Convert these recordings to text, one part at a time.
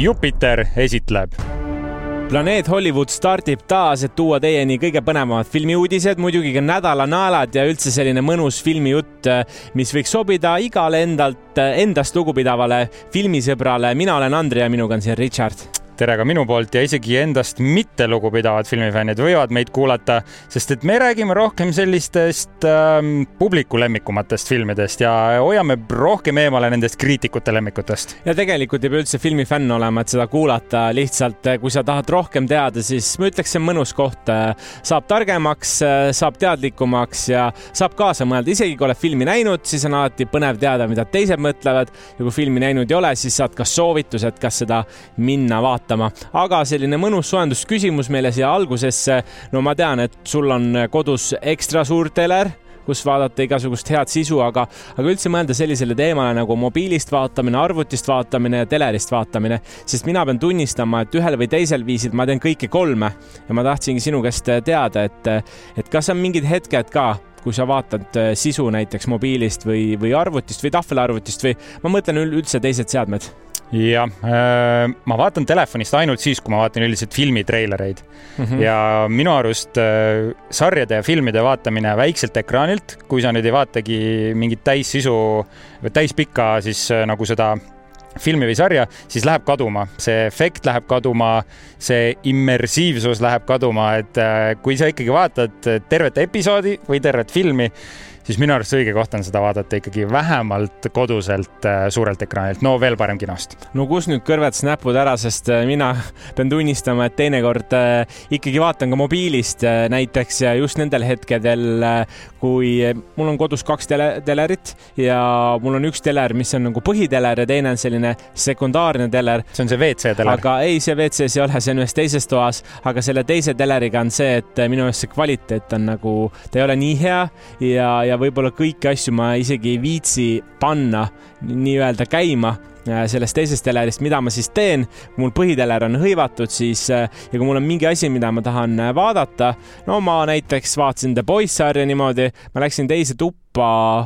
Jupiter esitleb. Planeet Hollywood stardib taas, et tuua teieni kõige põnevamad filmiuudised, muidugi ka nädalanaelad ja üldse selline mõnus filmijutt, mis võiks sobida igale endast lugupidavale filmisõbrale. Mina olen Andri ja minuga on siin Richard. Tere ka minu poolt ja isegi endast mitte lugupidavad filmifännid võivad meid kuulata, sest et me räägime rohkem sellistest publiku lemmikumatest filmidest ja hoiame rohkem eemale nendest kriitikute lemmikutest. Ja tegelikult ei pea üldse filmifänn olema, et seda kuulata. Lihtsalt, kui sa tahad rohkem teada, siis ma ütleks, see on mõnus koht. Saab targemaks, saab teadlikumaks ja saab kaasa mõelda. Isegi kui oled filmi näinud, siis on alati põnev teada, mida teised mõtlevad. Ja kui filmi näinud ei ole, siis saad ka soovitused, kas seda minna vaatama. Aga selline mõnus soendusküsimus meile siia algusesse. No ma tean, et sul on kodus ekstra suur teler, kus vaadata igasugust head sisu, aga üldse mõelda sellisele teemale nagu mobiilist vaatamine, arvutist vaatamine ja telerist vaatamine. Sest mina pean tunnistama, et ühel või teisel viisil ma teen kõike kolme ja ma tahtsingi sinu käest teada, et kas on mingid hetked ka, kui sa vaatad sisu näiteks mobiilist või arvutist või tahvelarvutist või ma mõtlen üldse teised seadmed. Ja ma vaatan telefonist ainult siis, kui ma vaatan üldiselt filmitreilereid. Ja minu arust sarjade ja filmide vaatamine väikselt ekraanilt, kui sa nüüd ei vaatagi mingit täissisu või täispikka siis nagu seda filmi või sarja, siis läheb kaduma. See efekt läheb kaduma, see immersiivsus läheb kaduma, et kui sa ikkagi vaatad tervet episoodi või tervet filmi, siis minu arust õige koht on seda vaadata ikkagi vähemalt koduselt suurelt ekraanilt. No veel parem kinost. No kus nüüd kõrvet snäpud ära, sest mina pean tunnistama, et teinekord ikkagi vaatan ka mobiilist näiteks just nendel hetkedel, kui mul on kodus 2 telerit ja mul on üks teler, mis on nagu põhiteler ja teine on selline sekundaarne teler. See on see WC-teler. Aga ei, see WC-s ei ole, see on ühes teises toas, aga selle teise teleriga on see, et minu eest see kvaliteet on nagu, ta ei ole nii hea ja võib-olla kõiki asju ma isegi ei viitsi panna nii-öelda käima sellest teisest telerist, mida ma siis teen. Kui mul põhiteler on hõivatud, siis ja kui mul on mingi asi, mida ma tahan vaadata, no ma näiteks vaatasin The Boys sarja niimoodi, ma läksin teise tuppa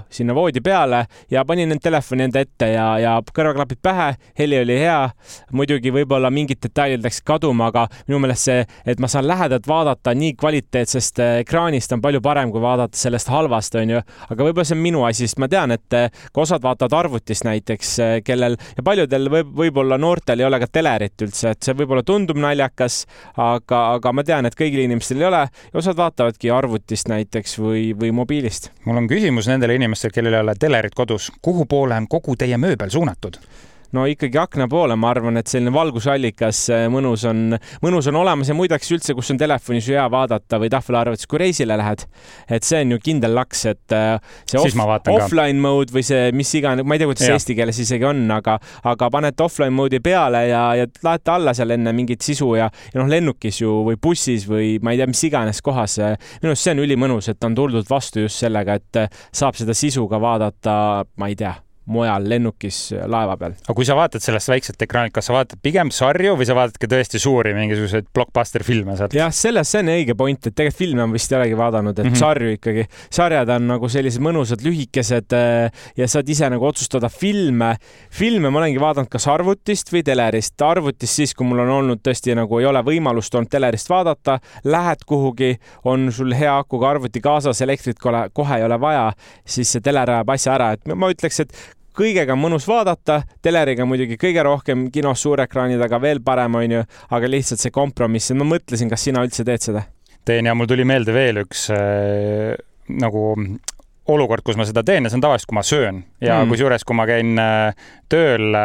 sinna voodi peale ja panin need telefoni enda ette ja kõrvaklapid pähe, heli oli hea, muidugi võib-olla mingid detailid läks kaduma, aga minu meelest see, et ma saan lähedalt vaadata nii kvaliteetsest ekraanist on palju parem, kui vaadata sellest halvast, on ju. Aga võib-olla see on minu asi, sest ma tean, et kui osad vaatavad arvutist näiteks, kellel ja paljudel võib-olla noortel ei ole ka telerit üldse, et see võib-olla tundub naljakas, aga ma tean, et kõigil inimestel ei ole ja osad vaatavadki arvutist näiteks või mobiilist. Mul on küsimus nendele inimestel, kellel ei ole telerit kodus. Kuhu poole on kogu teie mööbel suunatud? No ikkagi akna poole, ma arvan, et selline valgusallikas mõnus on olemas ja muideks üldse, kus on telefonis hea vaadata või tahvelarvutis, kui reisile lähed. Et see on ju kindel laks, et see offline mode või see mis iganes, ma ei tea, kuidas see eesti keeles isegi on, aga panete offline mode'i peale ja laete alla seal enne mingit sisu ja lennukis ju või bussis või ma ei tea, mis iganes kohas. Minu arust see on ülimõnus, et on tuldud vastu just sellega, et saab seda sisu ka vaadata, ma ei tea, mujal lennukis laeva peal. Aga kui sa vaatad sellest väikselt ekraanilt, kas sa vaatad pigem sarju või sa vaatad ka tõesti suuri mingisuguseid blockbuster filme sealt? Jah, see on õige point, et tegelikult filme on vist ei olegi vaadanud, et sarju ikkagi. Sarjad on nagu sellised mõnusad lühikesed ja saad ise nagu otsustada filme. Filme ma olengi vaadanud kas arvutist või telerist. Arvutist siis, kui mul on olnud tõesti nagu ei ole võimalust olnud telerist vaadata, lähed kuhugi, on sul hea akuga arvuti kaasas, elektrit kohe ei ole vaja, siis see teler ajab asja ära. Et ma ütleks, et kõigega on mõnus vaadata, teleriga muidugi kõige rohkem, kinos suurekraani taga veel parem on ju, aga lihtsalt see kompromiss. Ma mõtlesin, kas sina üldse teed seda? Teen ja mul tuli meelde veel üks nagu olukord, kus ma seda teen ja see on tavaliselt, kui ma söön ja kusjuures, kui ma käin tööl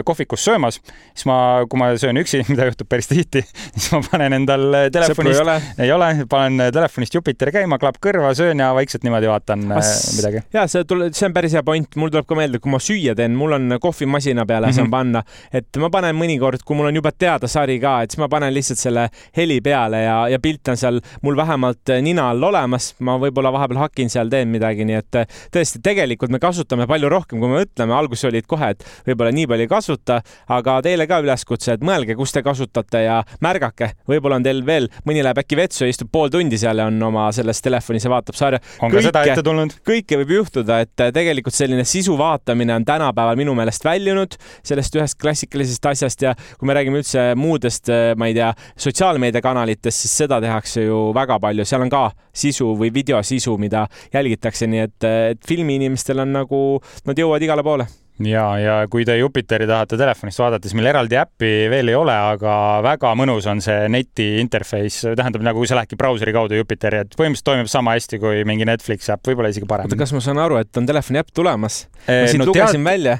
kohvikus söömas, siis kui ma söön üksi, mida juhtub päris tihti, siis ma panen endal telefonist, ei ole, panen telefonist Jupiteri käima, klapp kõrva, söön ja vaikselt niimoodi vaatan midagi. Ja see on päris hea point. Mul tuleb ka meelde, kui ma süüa teen, mul on kohvimasina peale saan panna, et ma panen mõnikord, kui mul on juba teada sari ka, et siis ma panen lihtsalt selle heli peale ja pilt on seal mul vähemalt nina all olemas. Ma võib-olla vahepeal hakin seal, teen midagi midagi, nii et tõesti, tegelikult me kasutame palju rohkem, kui me mõtleme. Alguses olid kohe, et võib-olla nii palju ei kasuta, aga teile ka üleskutse, et mõelge, kus te kasutate ja märgake. Võib-olla on teil veel, mõni läheb äkki vetsu ja istub pool tundi seal ja on oma selles telefonis ja vaatab sarja. On ka seda ette tulnud? Kõike võib juhtuda, et tegelikult selline sisu vaatamine on tänapäeval minu meelest väljunud sellest ühest klassikalisest asjast ja kui me räägime üldse muudest, ma ei tea, sotsiaalmeediakanalitest, siis seda tehakse ju väga palju. Seal on ka sisu või videosisu, mida jälgitakse, nii et filmiinimestel on nagu, nad jõuavad igale poole. Ja kui te Jupiteri tahate telefonist vaadata, siis meil eraldi äppi veel ei ole, aga väga mõnus on see neti interface. Tähendab, nagu kui sa lähedki brauseri kaudu Jupiteri, et põhimõtteliselt toimib sama hästi kui mingi Netflix äpp, võib-olla isegi parem. Kas ma saan aru, et on telefoni äpp tulemas? Ma siin lugesin välja.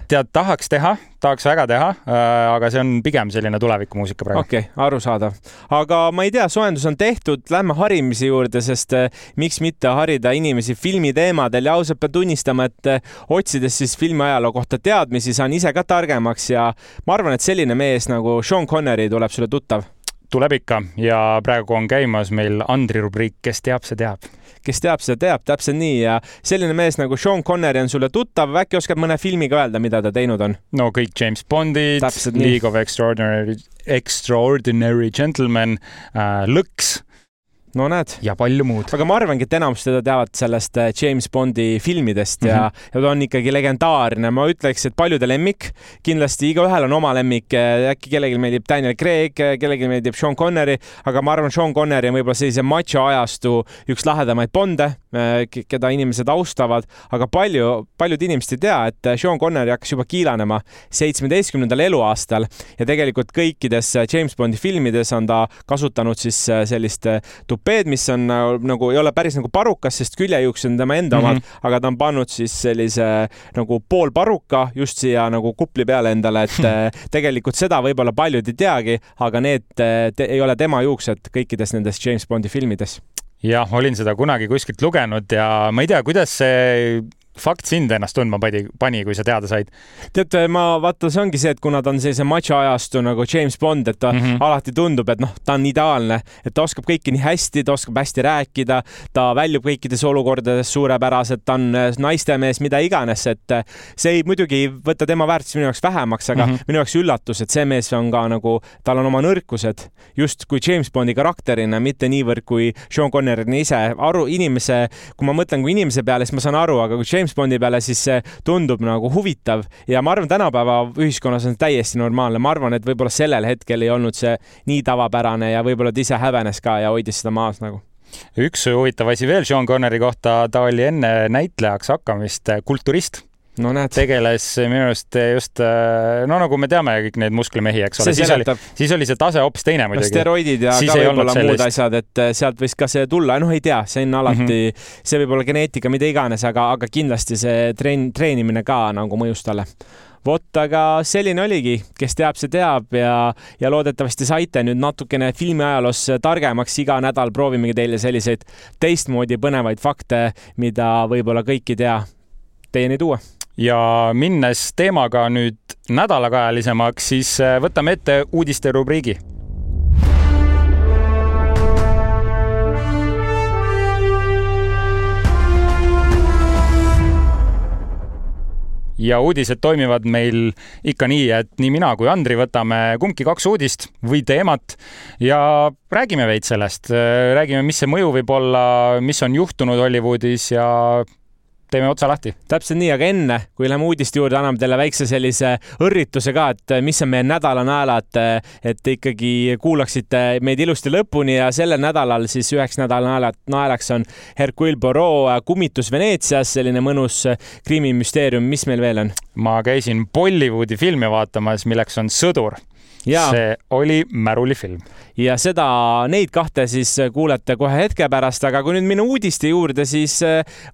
Tahaks väga teha, aga see on pigem selline tulevikumuusika praegu. Okei, arusaadav. Aga ma ei tea, soojendus on tehtud, lähme harimise juurde, sest miks mitte harida inimesi filmiteemadel ja ausalt pean tunnistama, et otsides siis filmiajaloo kohta teadmisi saan ise ka targemaks ja ma arvan, et selline mees nagu Sean Connery tuleb sulle tuttav. Tuleb ikka ja praegu on käimas meil Andri rubriik, kes teab, see teab. Kes teab, see teab, täpselt nii ja selline mees nagu Sean Connery on sulle tuttav, äkki oskad mõne filmiga öelda, mida ta teinud on? No kõik James Bondid, League of Extraordinary Gentlemen, Lõks. No näed. Ja palju muud. Aga ma arvangi, et enamus teda teavad sellest James Bondi filmidest ja ta on ikkagi legendaarne. Ma ütleks, et paljude lemmik. Kindlasti igaühel on oma lemmik. Äkki kellelgi meeldib Daniel Craig, kellelgi meeldib Sean Connery, aga ma arvan, Sean Connery on võib-olla sellise macho ajastu üks lahedamaid Bonde, keda inimesed austavad, aga paljud inimesed ei tea, et Sean Connery hakkas juba kiilanema 17. eluaastal ja tegelikult kõikides James Bondi filmides on ta kasutanud siis sellist tupeed, mis on nagu, ei ole päris nagu parukas, sest küljejuuks on tema enda omad, aga ta on pannud siis sellise nagu pool paruka just siia nagu kupli peale endale, et tegelikult seda võib-olla paljud ei teagi, aga need ei ole tema juuksed kõikides nendes James Bondi filmides. Jah, olin seda kunagi kuskilt lugenud ja ma ei tea, kuidas see fakt sind ennast tundma pani, kui sa teada said? Tead, ma vaata, see ongi see, et kuna ta on sellise macho ajastu nagu James Bond, et ta alati tundub, et ta on ideaalne, et ta oskab kõiki nii hästi, ta oskab hästi rääkida, ta väljub kõikides olukordades suurepäraselt, ta on naistemees, mida iganes, et see ei muidugi võtta tema väärtus minu jaoks vähemaks, aga minu jaoks üllatus, et see mees on ka nagu, tal on oma nõrkused, just kui James Bondi karakterina, mitte niivõrd kui Sean Connery ise. Kui ma mõtlen kui inimese peale, siis ma saan aru, aga kui James Bondi peale, siis see tundub nagu huvitav ja ma arvan, tänapäeva ühiskonnas on täiesti normaalne. Ma arvan, et võib-olla sellel hetkel ei olnud see nii tavapärane ja võib-olla ta ise häbenes ka ja hoidis seda maas nagu. Üks huvitav asi veel Sean Connery kohta, ta oli enne näitlejaks hakkamist kulturist. No näed. Tegeles minu just, no nagu me teame kõik need musklimehi, eks ole. Siis oli see tase hoopis teine muidugi. Steroidid ja siis ka võib-olla muud asjad, et sealt võis ka see tulla. Ei tea, see on alati, see võib olla geneetika, mida iganes, aga kindlasti see treenimine ka nagu mõjus talle. Vot, aga selline oligi, kes teab, see teab ja loodetavasti saite nüüd natukene filmiajaloos targemaks. Iga nädal proovimegi teile selliseid teistmoodi põnevaid fakte, mida võib-olla kõik ei tea, teieni tuua. Ja minnes teemaga nüüd nädalakajalisemaks, siis võtame ette uudiste rubriigi. Ja uudised toimivad meil ikka nii, et nii mina kui Andri võtame kumbki 2 uudist või teemat ja räägime veid sellest. Räägime, mis see mõju võib olla, mis on juhtunud Hollywoodis ja teeme otsa lahti. Täpselt nii, aga enne, kui läheme uudiste juurde, anname teile väikse sellise õrrituse ka, et mis on meie nädala naelad, et ikkagi kuulaksite meid ilusti lõpuni ja sellel nädalal siis 9 nädala naelaks on Hercule Poirot Kummitus Veneetsias, selline mõnus kriimimüsteerium. Mis meil veel on? Ma käisin Bollywoodi filmi vaatamas, milleks on Sõdur. Ja. See oli märulifilm. Ja neid 2 siis kuulete kohe hetke pärast, aga kui nüüd minna uudiste juurde, siis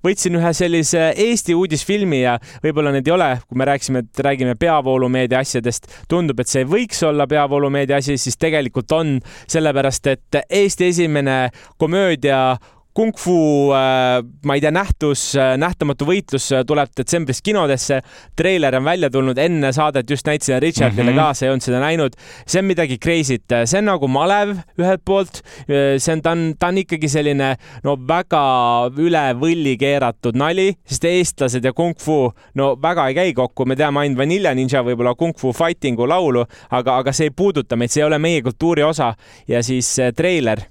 võtsin ühe sellise Eesti uudisfilmi ja võib-olla need ei ole, kui me räägime peavoolumeedia asjadest, tundub, et see ei võiks olla peavoolumeedia asi, siis tegelikult on, sellepärast et Eesti esimene komöödia Kung Fu, ma ei tea, nähtamatu võitlus tuleb detsembris kinodesse. Treiler on välja tulnud enne saadet, just näitasin Richardile kaasa, ei olnud seda näinud. See on midagi crazy't, see on nagu malev ühelt poolt, ta on ikkagi selline väga üle võlli keeratud nali, sest eestlased ja Kung Fu väga ei käi kokku, me teame ainult Vanilla Ninja võib-olla Kung Fu fightingu laulu, aga see ei puuduta meid, see ei ole meie kultuuri osa ja siis treiler,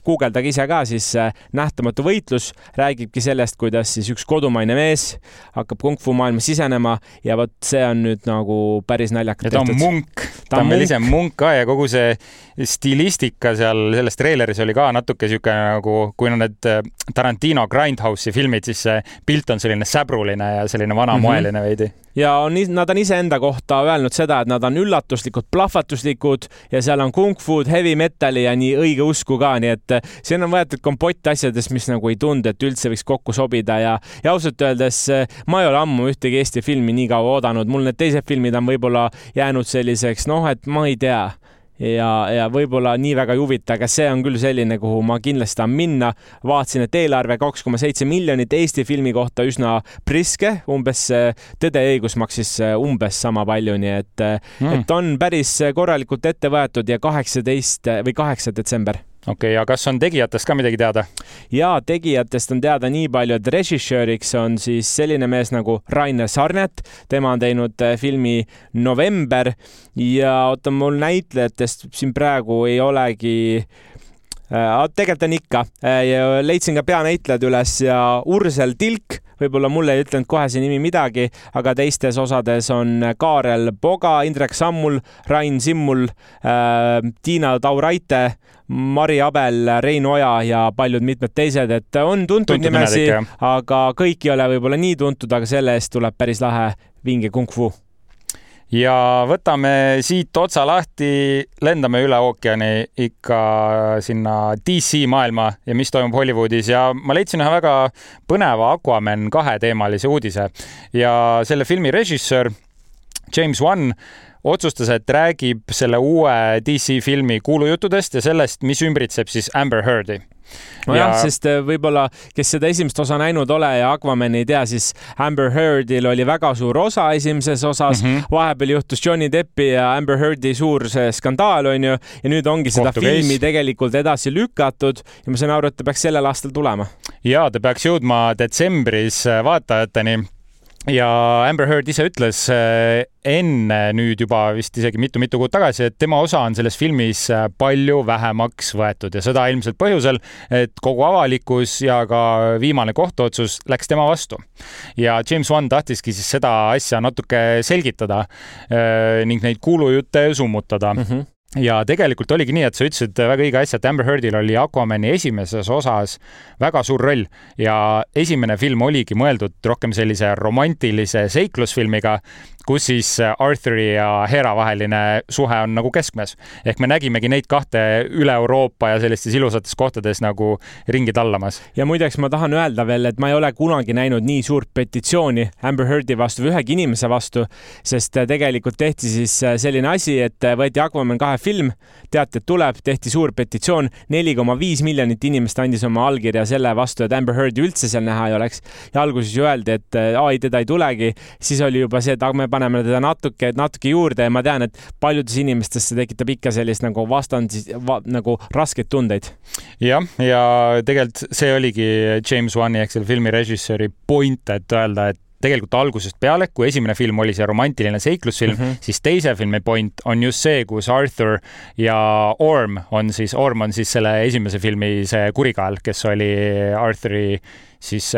guugeldage ise ka, siis nähtamatu võitlus räägibki sellest, kuidas siis üks kodumaine mees hakkab Kung Fu maailma sisenema ja vot see on nüüd nagu päris naljakalt tehtud. Ja ta on munk, ta on veel ise munk ka ja kogu see stilistika seal selles treileris oli ka natuke siuke nagu, kui on need Tarantino Grindhouse'i filmid, siis see pilt on selline säbruline ja selline vanamoeline veidi. Ja nad on iseenda kohta öelnud seda, et nad on üllatuslikud, plahvatuslikud ja seal on Kung Fu'd, heavy metali ja nii õige usku ka, nii et siin on võetud kompott asjadest, mis nagu ei tundu, et üldse võiks kokku sobida ja ausalt öeldes ma ei ole ammu ühtegi Eesti filmi nii kaua oodanud, mul need teised filmid on võib-olla jäänud selliseks, et ma ei tea ja võib-olla nii väga ei huvita, aga see on küll selline, kuhu ma kindlasti tahan minna. Vaatasin, et eelarve 2,7 miljonit Eesti filmi kohta üsna priske, umbes Tõde ja õigus maksis umbes sama palju, nii et on päris korralikult ette võetud ja 8. detsember. Okei, ja kas on tegijatest ka midagi teada? Ja tegijatest on teada nii palju, et režissööriks on siis selline mees nagu Rainer Sarnet, tema on teinud filmi November ja mul näitlejatest siin praegu ei olegi, tegelikult on ikka, leidsin ka peanäitlejad üles ja Ursel Tilk, võib-olla mulle ei ütlenud kohe see nimi midagi, aga teistes osades on Kaarel Poga, Indrek Sammul, Rain Simmul, Tiina Tauraite, Mari Abel, Rein Oja ja paljud mitmed teised, et on tuntud nimesi, aga kõik ei ole võib-olla nii tuntud, aga selle eest tuleb päris lahe vinge Kung Fu. Ja võtame siit otsa lahti, lendame üle ookeani ikka sinna DC maailma ja mis toimub Hollywoodis ja ma leidsin ühe väga põneva Aquaman 2 teemalise uudise ja selle filmi režissöör James Wan otsustas, et räägib selle uue DC filmi kuulujuttudest ja sellest, mis ümbritseb siis Amber Heardi. Jah, sest võib-olla, kes seda esimest osa näinud ole ja Aquaman ei tea, siis Amber Heardil oli väga suur osa esimeses osas, vahepeal juhtus Johnny Deppi ja Amber Heardi suur skandaal, on ju, ja nüüd ongi seda filmi tegelikult edasi lükatud ja ma saan aru, et ta peaks sellel aastal tulema. Ja ta peaks jõudma detsembris vaatajateni. Ja Amber Heard ise ütles enne nüüd juba vist isegi mitu kuud tagasi, et tema osa on selles filmis palju vähemaks võetud ja seda ilmselt põhjusel, et kogu avalikkus ja ka viimane kohtuotsus läks tema vastu. Ja James Wan tahtiski siis seda asja natuke selgitada ning neid kuulujutte summutada. Ja tegelikult oligi nii, et sa ütlesid väga õige asja, et Amber Heardil oli Aquamani esimeses osas väga suur roll ja esimene film oligi mõeldud rohkem sellise romantilise seiklusfilmiga, kus siis Arthuri ja Hera vaheline suhe on nagu keskmes. Ehk me nägimegi neid kahte üle Euroopa ja sellistes ilusates kohtades nagu ringi tallamas. Ja muideks ma tahan öelda veel, et ma ei ole kunagi näinud nii suurt petitsiooni Amber Heardi vastu või ühegi inimese vastu, sest tegelikult tehti siis selline asi, et võeti Aquaman 2 film, teati, et tuleb, tehti suur petitsioon, 4,5 miljonit inimest andis oma allkirja selle vastu, et Amber Heardi üldse seal näha ei oleks. Ja alguses ju öeldi, et teda ei tulegi, siis oli juba see, et me paneme teda natuke juurde ja ma tean, et paljudes inimestes see tekitab ikka sellist nagu nagu raskeid tundeid. Ja tegelikult see oligi James Wani ehk selle filmi režissööri point, et öelda, et tegelikult algusest peale, kui esimene film oli see romantiline seiklusfilm, siis teise filmi point on just see, kus Arthur ja Orm on siis selle esimese filmi see kurikael, kes oli Arthuri siis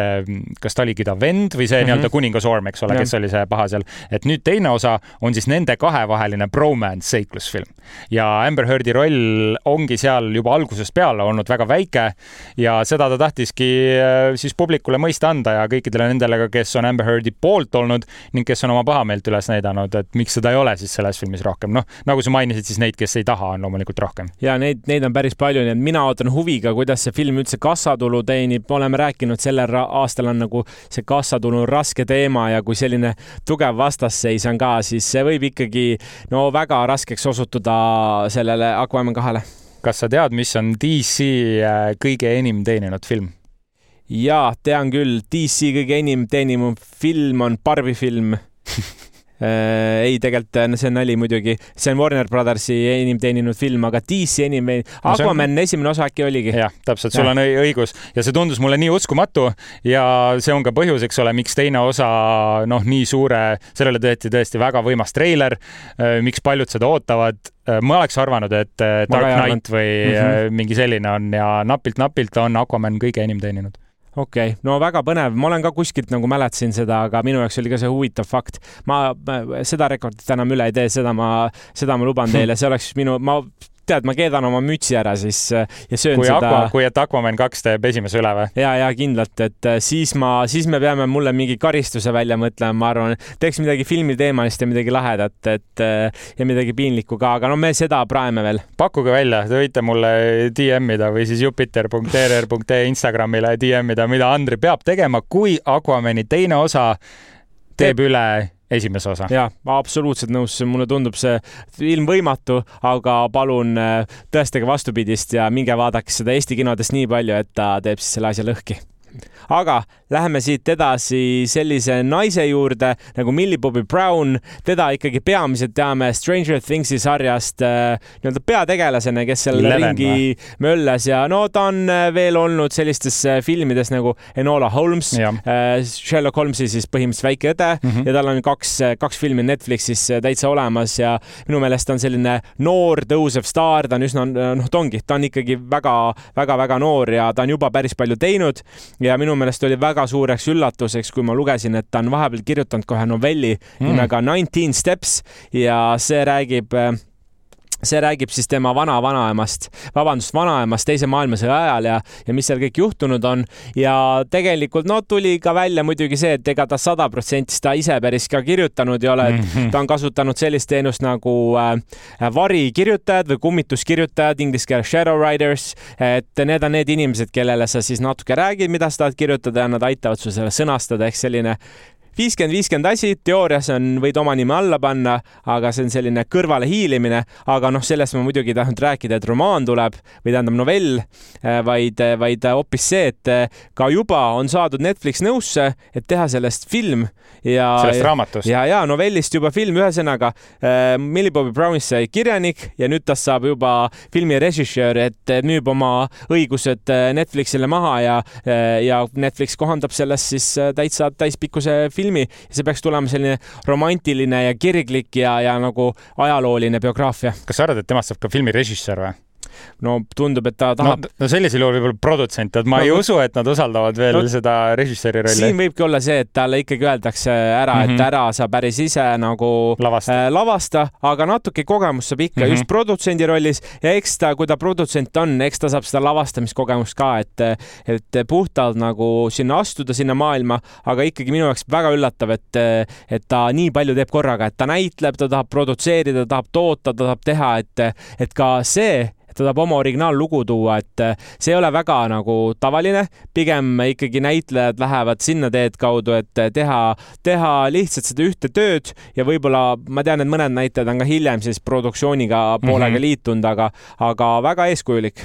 kas ta oligi ta vend või see nii-öelda kuningas Orm, eks ole, kes oli see paha seal. Et nüüd teine osa on siis nende kahevaheline bromance seiklusfilm. Ja Amber Heardi roll ongi seal juba algusest peale olnud väga väike ja seda ta tahtiski siis publikule mõista anda ja kõikidele nendele, kes on Amber Heardi poolt olnud ning kes on oma pahameelt üles näidanud, et miks seda ei ole siis selles filmis rohkem. Nagu sa mainisid, siis neid, kes ei taha, on loomulikult rohkem. Ja neid on päris palju, nii et mina ootan huviga, kuidas see film üldse kassatulu teenib. Oleme rääkinud sellel aastal on nagu see kassatulu raske teema ja kui selline tugev vastasseis on ka, siis see võib ikkagi väga raskeks osutuda sellele Aquaman 2-le. kas sa tead, mis on DC kõige enim teeninud film? Jaa, tean küll. DC kõige enim teeninud film on Barbie film. Ei, tegelikult see on nali muidugi. See on Warner Brothersi enim teeninud film, aga DC enim... Aquaman esimene osa äkki oligi. Jah, täpselt, sul on õigus. Ja see tundus mulle nii uskumatu ja see on ka põhjus, eks ole, miks teine osa nii suure, sellele tõesti väga võimas treiler, miks paljud seda ootavad. Ma oleks arvanud, et Dark Knight või mingi selline on ja napilt on Aquaman kõige enim teeninud. Okei, no väga põnev. Ma olen ka kuskilt nagu mäletasin seda, aga minu jaoks oli ka see huvitav fakt. Ma seda rekordit enam üle ei tee, seda ma luban teile. See oleks ma keedan oma mütsi ära siis ja söön seda. Kui et Aquaman 2 teeb esimese üle või? Ja kindlalt, et siis me peame mulle mingi karistuse välja mõtlema, ma arvan. Teeks midagi filmiteemalist ja midagi lahedat ja midagi piinlikku ka, aga me seda praeme veel. Pakkuge välja, te võite mulle DM-ida või siis jupiter.rr.ee Instagramile DM-ida, mida Andri peab tegema, kui Aquamani teine osa teeb üle esimese osa. Jah, ma absoluutselt nõus. Mulle tundub see ilmvõimatu, aga palun tõestage vastupidist ja minge vaadake seda Eesti kinodest nii palju, et ta teeb siis selle asja lõhki. Aga läheme siit edasi sellise naise juurde nagu Millie Bobby Brown. Teda ikkagi peamiselt teame Stranger Thingsi sarjast nii-öelda peategelasena, kes seal ringi möllas ja ta on veel olnud sellistes filmides nagu Enola Holmes, Sherlock Holmesi siis põhimõtteliselt väike õde ja tal on kaks filmi Netflixis täitsa olemas ja minu meelest on selline noor tõusev staar, ta on üsna, ta on ikkagi väga noor ja ta on juba päris palju teinud ja minu meelest oli väga suureks üllatuseks, kui ma lugesin, et ta on vahepeal kirjutanud kohe novelli nimega 19 Steps ja see räägib siis tema vanaemast teise maailmasõja ajal ja mis seal kõik juhtunud on ja tegelikult tuli ka välja muidugi see, et ega ta 100% ta ise päris ka kirjutanud ei ole, et ta on kasutanud sellist teenust nagu varikirjutajad või kummituskirjutajad, inglise keeles shadow writers, et need on need inimesed, kellele sa siis natuke räägid, mida sa tahad kirjutada ja nad aitavad su selle sõnastada, ehk selline 50-50 asi, teoorias võid oma nime alla panna, aga see on selline kõrvale hiilimine, aga sellest ma muidugi ei tahtnud rääkida, et romaan tuleb või tähendab novell, vaid hoopis see, et ka juba on saadud Netflix nõusse, et teha sellest film ja sellest raamatust. Ja novellist juba film, ühesõnaga Millie Bobby Brownist sai kirjanik ja nüüd ta saab juba filmi režissöör, et müüb oma õigused Netflixile maha ja Netflix kohandab sellest siis täitsa täispikkuse filmi ja see peaks tulema selline romantiline ja kirglik ja nagu ajalooline biograafia. Kas sa arvad, et temast saab ka filmi režissöör või? No tundub, et ta tahab... No sellisel juhul võib-olla produtsent, et ma ei usu, et nad usaldavad veel seda režissööri rolli. Siin võibki olla see, et talle ikkagi öeldakse ära, et ära sa päris ise nagu lavasta, aga natuke kogemus saab ikka just produtsendi rollis ja eks ta, kui ta produtsent on, eks ta saab seda lavastamiskogemust ka, et puhtalt nagu sinna astuda, sinna maailma, aga ikkagi minu jaoks väga üllatav, et ta nii palju teeb korraga, et ta näitleb, ta tahab produtseerida, ta tahab toota, ta tahab teha, et ka see, ta tahab oma originaallugu tuua, et see ei ole väga nagu tavaline, pigem ikkagi näitlejad lähevad sinna teed kaudu, et teha lihtsalt seda ühte tööd ja võib-olla ma tean, et mõned näitlejad on ka hiljem siis produktsiooniga poolega liitunud, aga väga eeskujulik.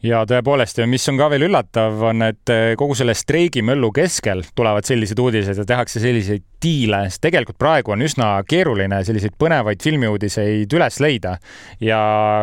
Ja tõepoolest, ja mis on ka veel üllatav, on, et kogu selle streigimöllu keskel tulevad sellised uudised ja tehakse selliseid diile, sest tegelikult praegu on üsna keeruline selliseid põnevaid filmiuudiseid üles leida ja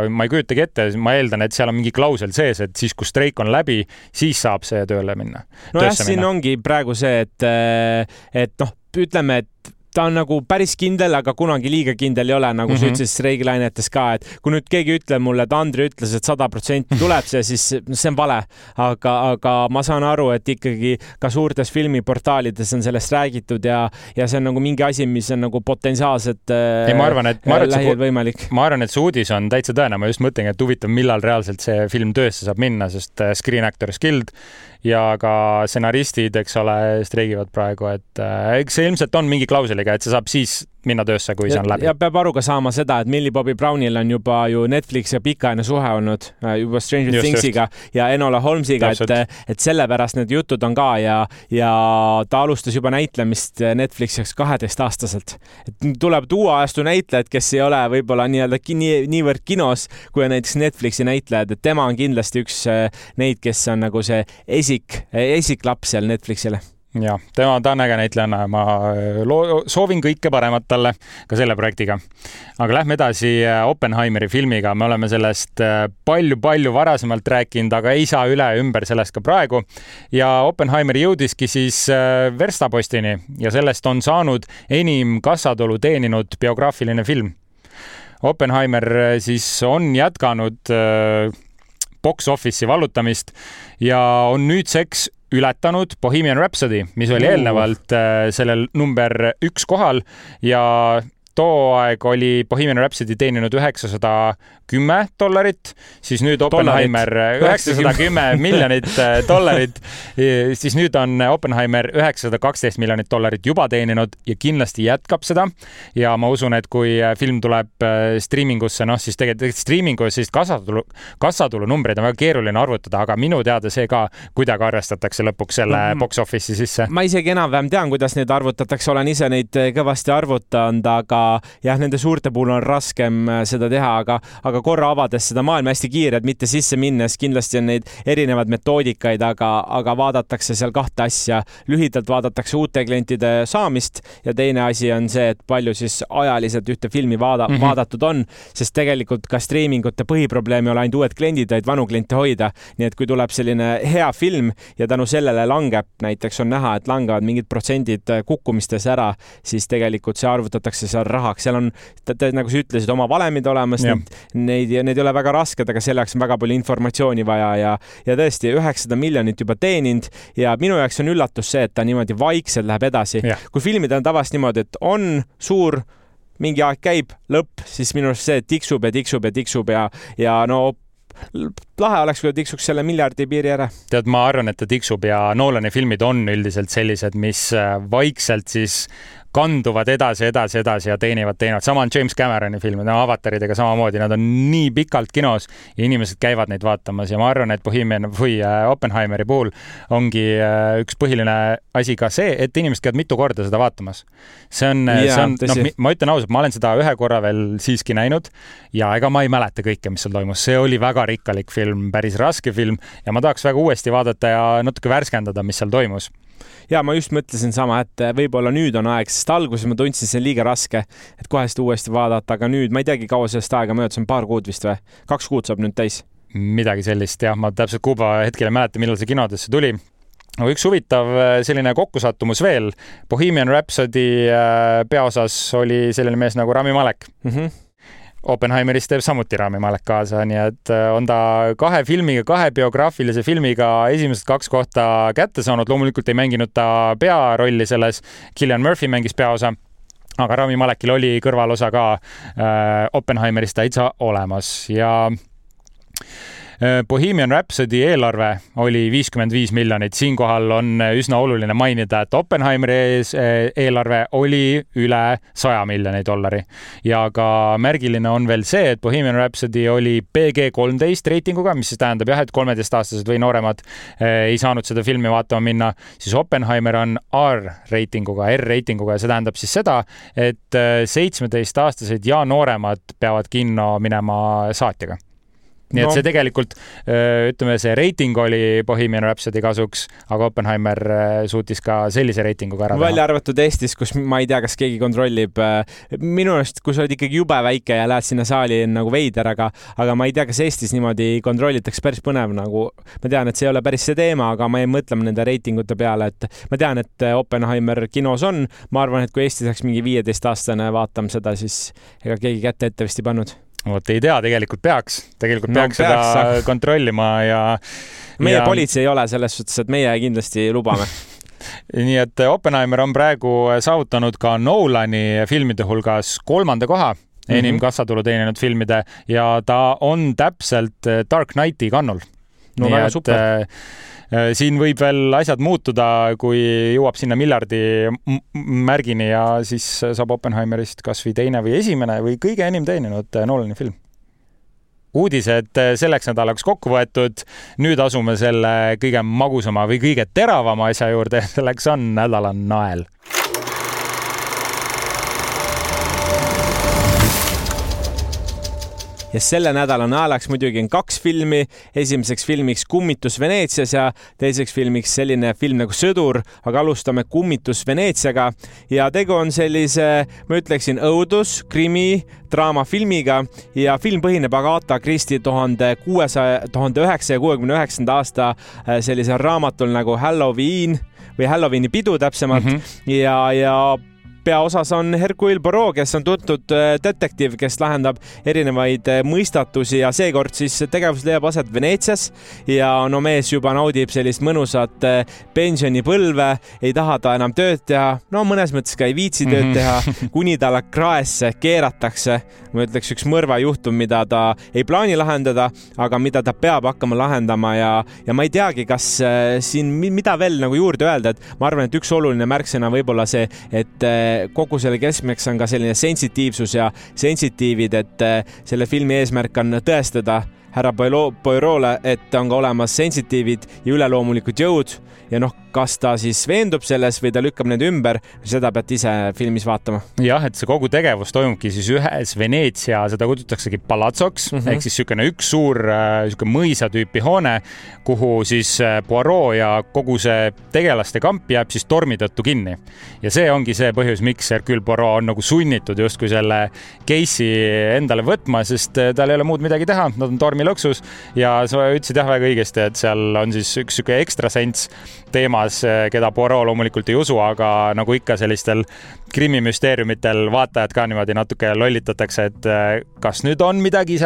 ma ei kujutagi ette, ma eeldan, et seal on mingi klausel sees, et siis, kui streik on läbi, siis saab see tööle minna. No jah, siin ongi praegu see, et ütleme, et ta on nagu päris kindel, aga kunagi liiga kindel ei ole, nagu sa ütlesid streigilainetes ka, et kui nüüd keegi ütleb mulle, et Andri ütles, et 100% tuleb see, siis see on vale. Aga ma saan aru, et ikkagi ka suurtes filmiportaalides on sellest räägitud ja see on nagu mingi asi, mis on nagu potentsiaalselt lähiajal võimalik. Ma arvan, et see uudis on täitsa tõene. Ma just mõtlen, et huvitav, millal reaalselt see film töösse saab minna, sest Screen Actors Guild ja ka stsenaristid, eks ole, streigivad praegu, et eks see ilmselt on mingi klausel Universaliga, et see saab siis minna töösse, kui see on läbi. Ja peab aru ka saama seda, et Millie Bobby Brownil on juba ju Netflix ja pikaajaline suhe olnud juba Stranger Thingsiga ja Enola Holmesiga, et sellepärast need jutud on ka ja ta alustas juba näitlemist Netflixiks 12-aastaselt. Et tuleb uue ajastu näitlejad, kes ei ole võib-olla niivõrd kinos, kui on näiteks Netflixi näitlejad, et tema on kindlasti üks neid, kes on nagu see esiklaps seal Netflixile. Ja, ta on äge näitlejana, ma soovin kõike paremat talle ka selle projektiga. Aga lähme edasi Oppenheimeri filmiga. Me oleme sellest palju varasemalt rääkinud, aga ei saa üle ümber sellest ka praegu. Ja Oppenheimeri jõudiski siis verstapostini ja sellest on saanud enim kassatulu teeninud biograafiline film. Oppenheimer siis on jätkanud box office'i vallutamist ja on nüüdseks ületanud Bohemian Rhapsody, mis oli eelnevalt sellel number 1 kohal ja too aeg oli Bohemian Rhapsody teeninud $910, siis nüüd Oppenheimer $910 miljonit, siis nüüd on Oppenheimer $912 miljonit juba teeninud ja kindlasti jätkab seda. Ja ma usun, et kui film tuleb streamingusse, siis tegelikult streamingus siis kassatulu numbreid on väga keeruline arvutada, aga minu teada see ka kuidagi arvestatakse lõpuks selle box office'i sisse. Ma isegi enam-vähem tean, kuidas neid arvutatakse, olen ise neid kõvasti arvutanud, aga jah, nende suurte puhul on raskem seda teha, aga korra avades seda maailma hästi kiired, mitte sisse minnes, kindlasti on neid erinevad metoodikaid, aga vaadatakse seal kahte asja. Lühidalt vaadatakse uute klientide saamist ja teine asi on see, et palju siis ajaliselt ühte filmi vaadatud on, sest tegelikult ka streamingute põhiprobleem ei ole ainult uued kliendid, vaid vanu kliente hoida. Nii et kui tuleb selline hea film ja tänu sellele langeb, näiteks on näha, et langevad mingid protsendid kukkumistes ära, siis tegelikult see arvutatakse seal rahaks. Seal on, nagu sa ütlesid, oma valemid olemas, neid ei ole väga rasked, aga selleks on väga palju informatsiooni vaja ja tõesti 900 miljonit juba teeninud ja minu jaoks on üllatus see, et ta niimoodi vaikselt läheb edasi. Kui filmid on tavast niimoodi, et on suur, mingi aeg käib, lõpp, siis minu arust see tiksub ja no lahe oleks, kui tiksuks selle miljardi piiri ära. Tead, ma arvan, et ta tiksub ja Nolani filmid on üldiselt sellised, mis vaikselt siis kanduvad edasi ja teenivad. Sama on James Cameroni filmid, avataridega samamoodi, nad on nii pikalt kinos ja inimesed käivad neid vaatamas ja ma arvan, et Oppenheimeri puhul ongi üks põhiline asi ka see, et inimesed käivad mitu korda seda vaatamas. See on ma ütlen ausalt, ma olen seda ühe korra veel siiski näinud ja ega ma ei mäleta kõike, mis seal toimus. See oli väga rikkalik film, päris raske film ja ma tahaks väga uuesti vaadata ja natuke värskendada, mis seal toimus. Ja ma just mõtlesin sama, et võib-olla nüüd on aeg, sest alguses ma tundsin, see liiga raske, et kohe seda uuesti vaadata, aga nüüd ma ei teagi, kaua sellest aega möödas on, 2 kuud vist või? 2 kuud saab nüüd täis. Midagi sellist, jah, ma täpselt kuuba hetkel ei mäleta, millal see kinodesse tuli. Üks huvitav selline kokkusattumus veel. Bohemian Rhapsody peaosas oli selline mees nagu Rami Malek. Oppenheimeris teeb samuti Rami Malek kaasa, nii et on ta 2 filmiga, 2 biograafilise filmiga esimesed 2 kohta kätte saanud. Loomulikult ei mänginud ta pearolli selles, Cillian Murphy mängis peaosa, aga Rami Malekil oli kõrvalosa ka Oppenheimeris täitsa olemas ja Bohemian Rhapsody eelarve oli 55 miljonit. Siinkohal on üsna oluline mainida, et Oppenheimeri eelarve oli üle $100 miljonit. Ja ka märgiline on veel see, et Bohemian Rhapsody oli PG-13 reitinguga, mis siis tähendab jah, et 13-aastased või nooremad ei saanud seda filmi vaatama minna. Siis Oppenheimer on R-reitinguga ja see tähendab siis seda, et 17-aastased ja nooremad peavad kinno minema saatjaga. Nii et see tegelikult, ütleme, see reiting oli Bohemian Rhapsody kasuks, aga Oppenheimer suutis ka sellise reitinguga ära teha. Välja arvatud Eestis, kus ma ei tea, kas keegi kontrollib. Minu arust, kui sa oled ikkagi jube väike ja lähed sinna saali nagu veider, aga ma ei tea, kas Eestis niimoodi kontrollitakse päris põnev. Nagu, ma tean, et see ei ole päris see teema, aga ma ei mõtle nende reitingute peale, et ma tean, et Oppenheimer kinos on. Ma arvan, et kui Eestis oleks mingi 15-aastane vaatama seda, siis ega keegi kätte ette vist ei pannud. Ei tea, tegelikult peaks seda kontrollima ja meie politsei ei ole selles suhtes, et meie kindlasti lubame. Nii et Oppenheimer on praegu saavutanud ka Nolani filmide hulgas 3. koha enim kassatulu teeninud filmide ja ta on täpselt Dark Knighti kannul. No nii väga super. Siin võib veel asjad muutuda, kui jõuab sinna miljardi märgini ja siis saab Oppenheimerist kas või teine või esimene või kõige enim teeninud Nolani film. Uudised selleks nädalaks kokku võetud. Nüüd asume selle kõige magusama või kõige teravama asja juurde. Selleks on nädala nael. Ja selle nädala naelaks muidugi on 2 filmi. Esimeseks filmiks Kummitus Veneetsias ja teiseks filmiks selline film nagu Sõdur, aga alustame Kummitus Veneetsiaga. Ja tegu on sellise, ma ütleksin, õudus, krimi, draamafilmiga ja film põhineb Agatha Christie 1969. aasta sellisel raamatul nagu Halloween või Halloweeni pidu täpsemalt ja peaosas on Hercule Poirot, kes on tuntud detektiiv, kes lahendab erinevaid mõistatusi ja seekord siis tegevus leiab aset Veneetsias ja no mees juba naudib sellist mõnusat pensionipõlve, ei taha ta enam tööd teha, no mõnes mõttes ka ei viitsi tööd teha, kuni talle kraesse keeratakse, ma ütleks üks mõrvajuhtum, mida ta ei plaani lahendada, aga mida ta peab hakkama lahendama ja ma ei teagi, kas siin mida veel nagu juurde öelda, et ma arvan, et üks oluline märksõna võib-olla see, et kogu selle keskmeks on ka selline sensitiivsus ja sensitiivid, et selle filmi eesmärk on tõestada härra Poirot'le, et on ka olemas sensitiivid ja üleloomulikud jõud ja noh, kas ta siis veendub selles või ta lükkab need ümber, seda pead ise filmis vaatama. Jah, et see kogu tegevus toimubki siis ühes Veneetsia, seda kutsutaksegi palatsoks, ehk siis sükene üks suur mõisa tüüpi hoone, kuhu siis Poirot ja kogu see tegelaste kamp jääb siis tormi tõttu kinni. Ja see ongi see põhjus, miks Hercule Poirot on nagu sunnitud justkui selle case'i endale võtma, sest tal ei ole muud midagi teha, nad on tormilõksus ja sa ütlesid jah väga õigesti, et seal on siis üks süke ekstrasents teemas, keda Poirot loomulikult ei usu, aga nagu ikka sellistel krimimüsteeriumitel vaatajad ka niimoodi natuke lollitatakse, et kas nüüd on midagi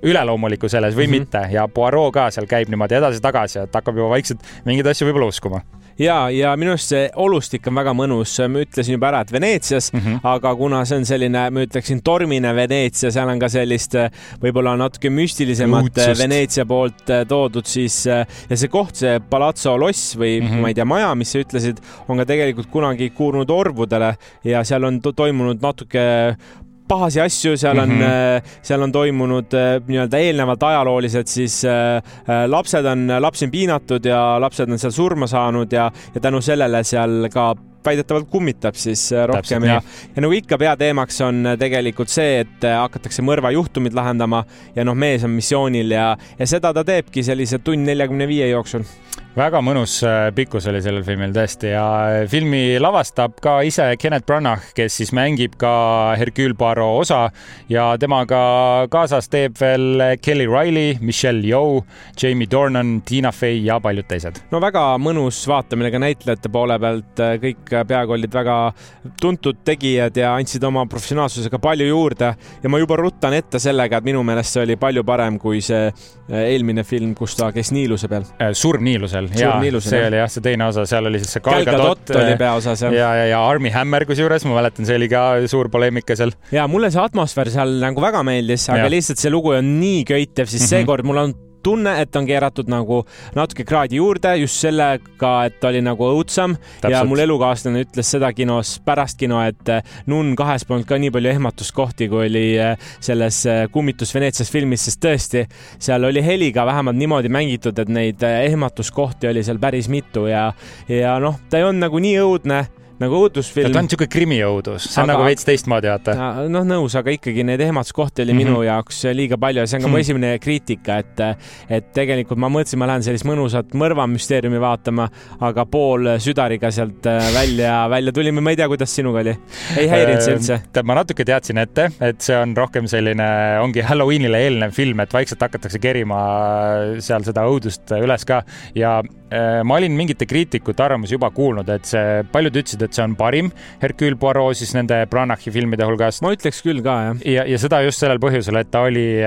üleloomulikku selles või mitte ja Poirot ka seal käib niimoodi edasi-tagasi, et hakkab juba vaikselt mingeid asju võib-olla uskuma. Ja minu arust see olustik on väga mõnus, ma ütlesin juba ära, et Veneetsias, aga kuna see on selline, ma ütleksin, tormine Veneetsia, seal on ka sellist võib-olla natuke müstilisemat Veneetsia poolt toodud, siis ja see koht, see Palazzo Loss või ma ei tea, maja, mis sa ütlesid, on ka tegelikult kunagi kuulunud orvudele ja seal on toimunud natuke pahasi asju, seal on toimunud nii-öelda eelnevalt ajaloolised, siis lapsi on piinatud ja lapsed on seal surma saanud ja tänu sellele seal ka väidetavalt kummitab siis rohkem ja nagu ikka peateemaks on tegelikult see, et hakatakse mõrvajuhtumid lahendama ja noh, mees on missioonil ja seda ta teebki sellise 1:45 jooksul. Väga mõnus pikkus oli sellel filmil tõesti ja filmi lavastab ka ise Kenneth Branagh, kes siis mängib ka Hercule Poirot osa ja temaga kaasas teeb veel Kelly Riley, Michelle Yeoh, Jamie Dornan, Tina Fey ja paljud teised. No väga mõnus vaatamine ka näitlejate poole pealt, kõik peaaegu olid väga tuntud tegijad ja andsid oma professionaalsusega palju juurde ja ma juba ruttan ette sellega, et minu meelest see oli palju parem kui see eelmine film, kus ta käis Niiluse peal. Surm Niilusel. Ja, see oli jah, see teine osa, seal oli siis see Gal Gadot oli peaosas. Ja Armie Hammer kusjuures, ma mäletan, see oli ka suur poleemika seal. Ja mulle see atmosfäär seal nagu väga meeldis, aga lihtsalt see lugu on nii köitev, siis seekord mul on tunne, et on keeratud nagu natuke kraadi juurde just sellega, et oli nagu õudsam. Täpselt. Ja mul elukaaslane ütles seda kinos pärast kino, et Nun 2 polnud ka nii palju ehmatuskohti, kui oli selles Kummitus Veneetsias filmis, sest tõesti, seal oli heliga vähemalt niimoodi mängitud, et neid ehmatuskohti oli seal päris mitu ja noh, ta ei on nagu nii õudne, nagu õudusfilm. Ta on niisugune krimiõudus, see on nagu veits teistmoodi, vaata. Noh, nõus, aga ikkagi need ehmatuskohti oli minu jaoks liiga palju ja see on ka mu esimene kriitika, et tegelikult ma mõtlesin, ma lähen sellist mõnusat mõrvamüsteeriumi vaatama, aga pool südariga sealt välja tulime, ma ei tea, kuidas sinuga oli. Ei häirinud see üldse? Ma natuke teadsin ette, et see on rohkem selline, ongi Halloweenile eelnev film, et vaikselt hakatakse kerima seal seda õudust üles ka ja ma olin mingite kriitikute arvamusi juba kuulnud, et see paljud ütlesid, et see on parim Hercule Poirot siis nende Branaghi filmide hulgast. Ma ütleks küll ka, jah. Ja seda just sellel põhjusel, et ta oli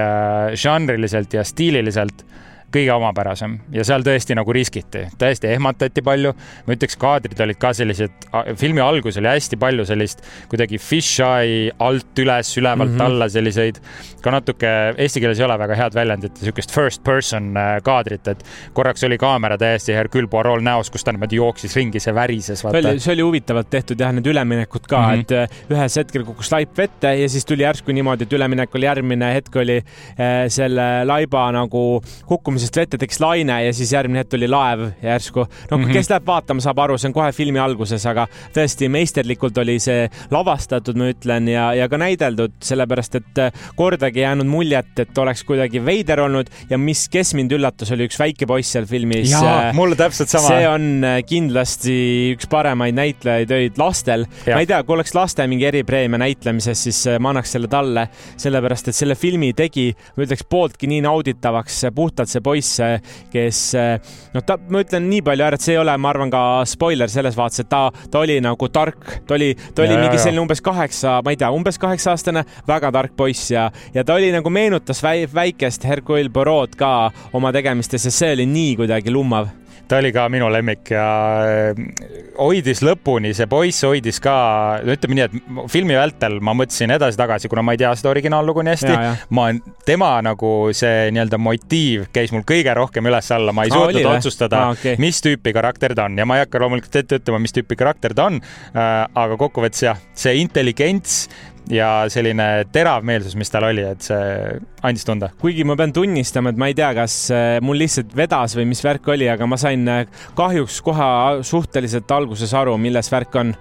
žanriliselt ja stiililiselt kõige omapärasem ja seal tõesti nagu riskiti, täiesti ehmatati palju. Ma ütleks, kaadrid olid ka sellised, filmi algus oli hästi palju sellist kuidagi fisheye alt üles, ülevalt alla selliseid, ka natuke eesti keeles ei ole väga head väljendit, sükest first person kaadrit, et korraks oli kaamera täiesti Hercule Poirot näos, kus ta niimoodi jooksis ringi, see värises. See oli huvitavalt tehtud jah, need üleminekud ka, et ühes hetkel kukkus laip vette ja siis tuli järsku niimoodi, et üleminek oli järgmine hetk oli selle laiba nagu kukkumisest vette tekkis laine ja siis järgmine hetk tuli laev järsku. No kes läheb vaatama, saab aru, see on kohe filmi alguses, aga tõesti meisterlikult oli see lavastatud, ma ütlen, ja ka näideldud, sellepärast et kordagi jäänud muljet, et oleks kuidagi veider olnud ja kes mind üllatus, oli üks väike poiss seal filmis. Jaa, mulle täpselt sama. See on kindlasti üks paremaid näitlejaid öid lastel. Ja. Ma ei tea, kui oleks laste mingi eripreemia näitlemises, siis ma annaks selle talle, sellepärast et selle filmi tegi, ma ütleks, pooltki nii nauditavaks puhtalt see poiss, kes, ma ütlen nii palju ära, et see ei ole, ma arvan, ka spoiler selles vaates, et ta oli nagu tark, ta oli mingi selline umbes 8-aastane, väga tark poiss ja ta oli nagu meenutas väikest Hercule Poirot ka oma tegemistes ja see oli nii kuidagi lummav. Ta oli ka minu lemmik ja hoidis lõpuni, see poiss hoidis ka, ütleme nii, et filmi vältel ma mõtlesin edasi-tagasi, kuna ma ei tea seda originaallugu nii hästi. Tema nagu see nii-öelda motiiv käis mul kõige rohkem üles alla, ma ei suutnud otsustada, mis tüüpi karakter ta on ja ma ei hakka loomulikult ette ütlema, mis tüüpi karakter ta on, aga kokkuvõttes jah, see intelligents ja selline terav meelsus, mis tal oli, et see andis tunda. Kuigi ma pean tunnistama, et ma ei tea, kas mul lihtsalt vedas või mis värk oli, aga ma sain kahjuks kohe suhteliselt alguses aru, milles värk on.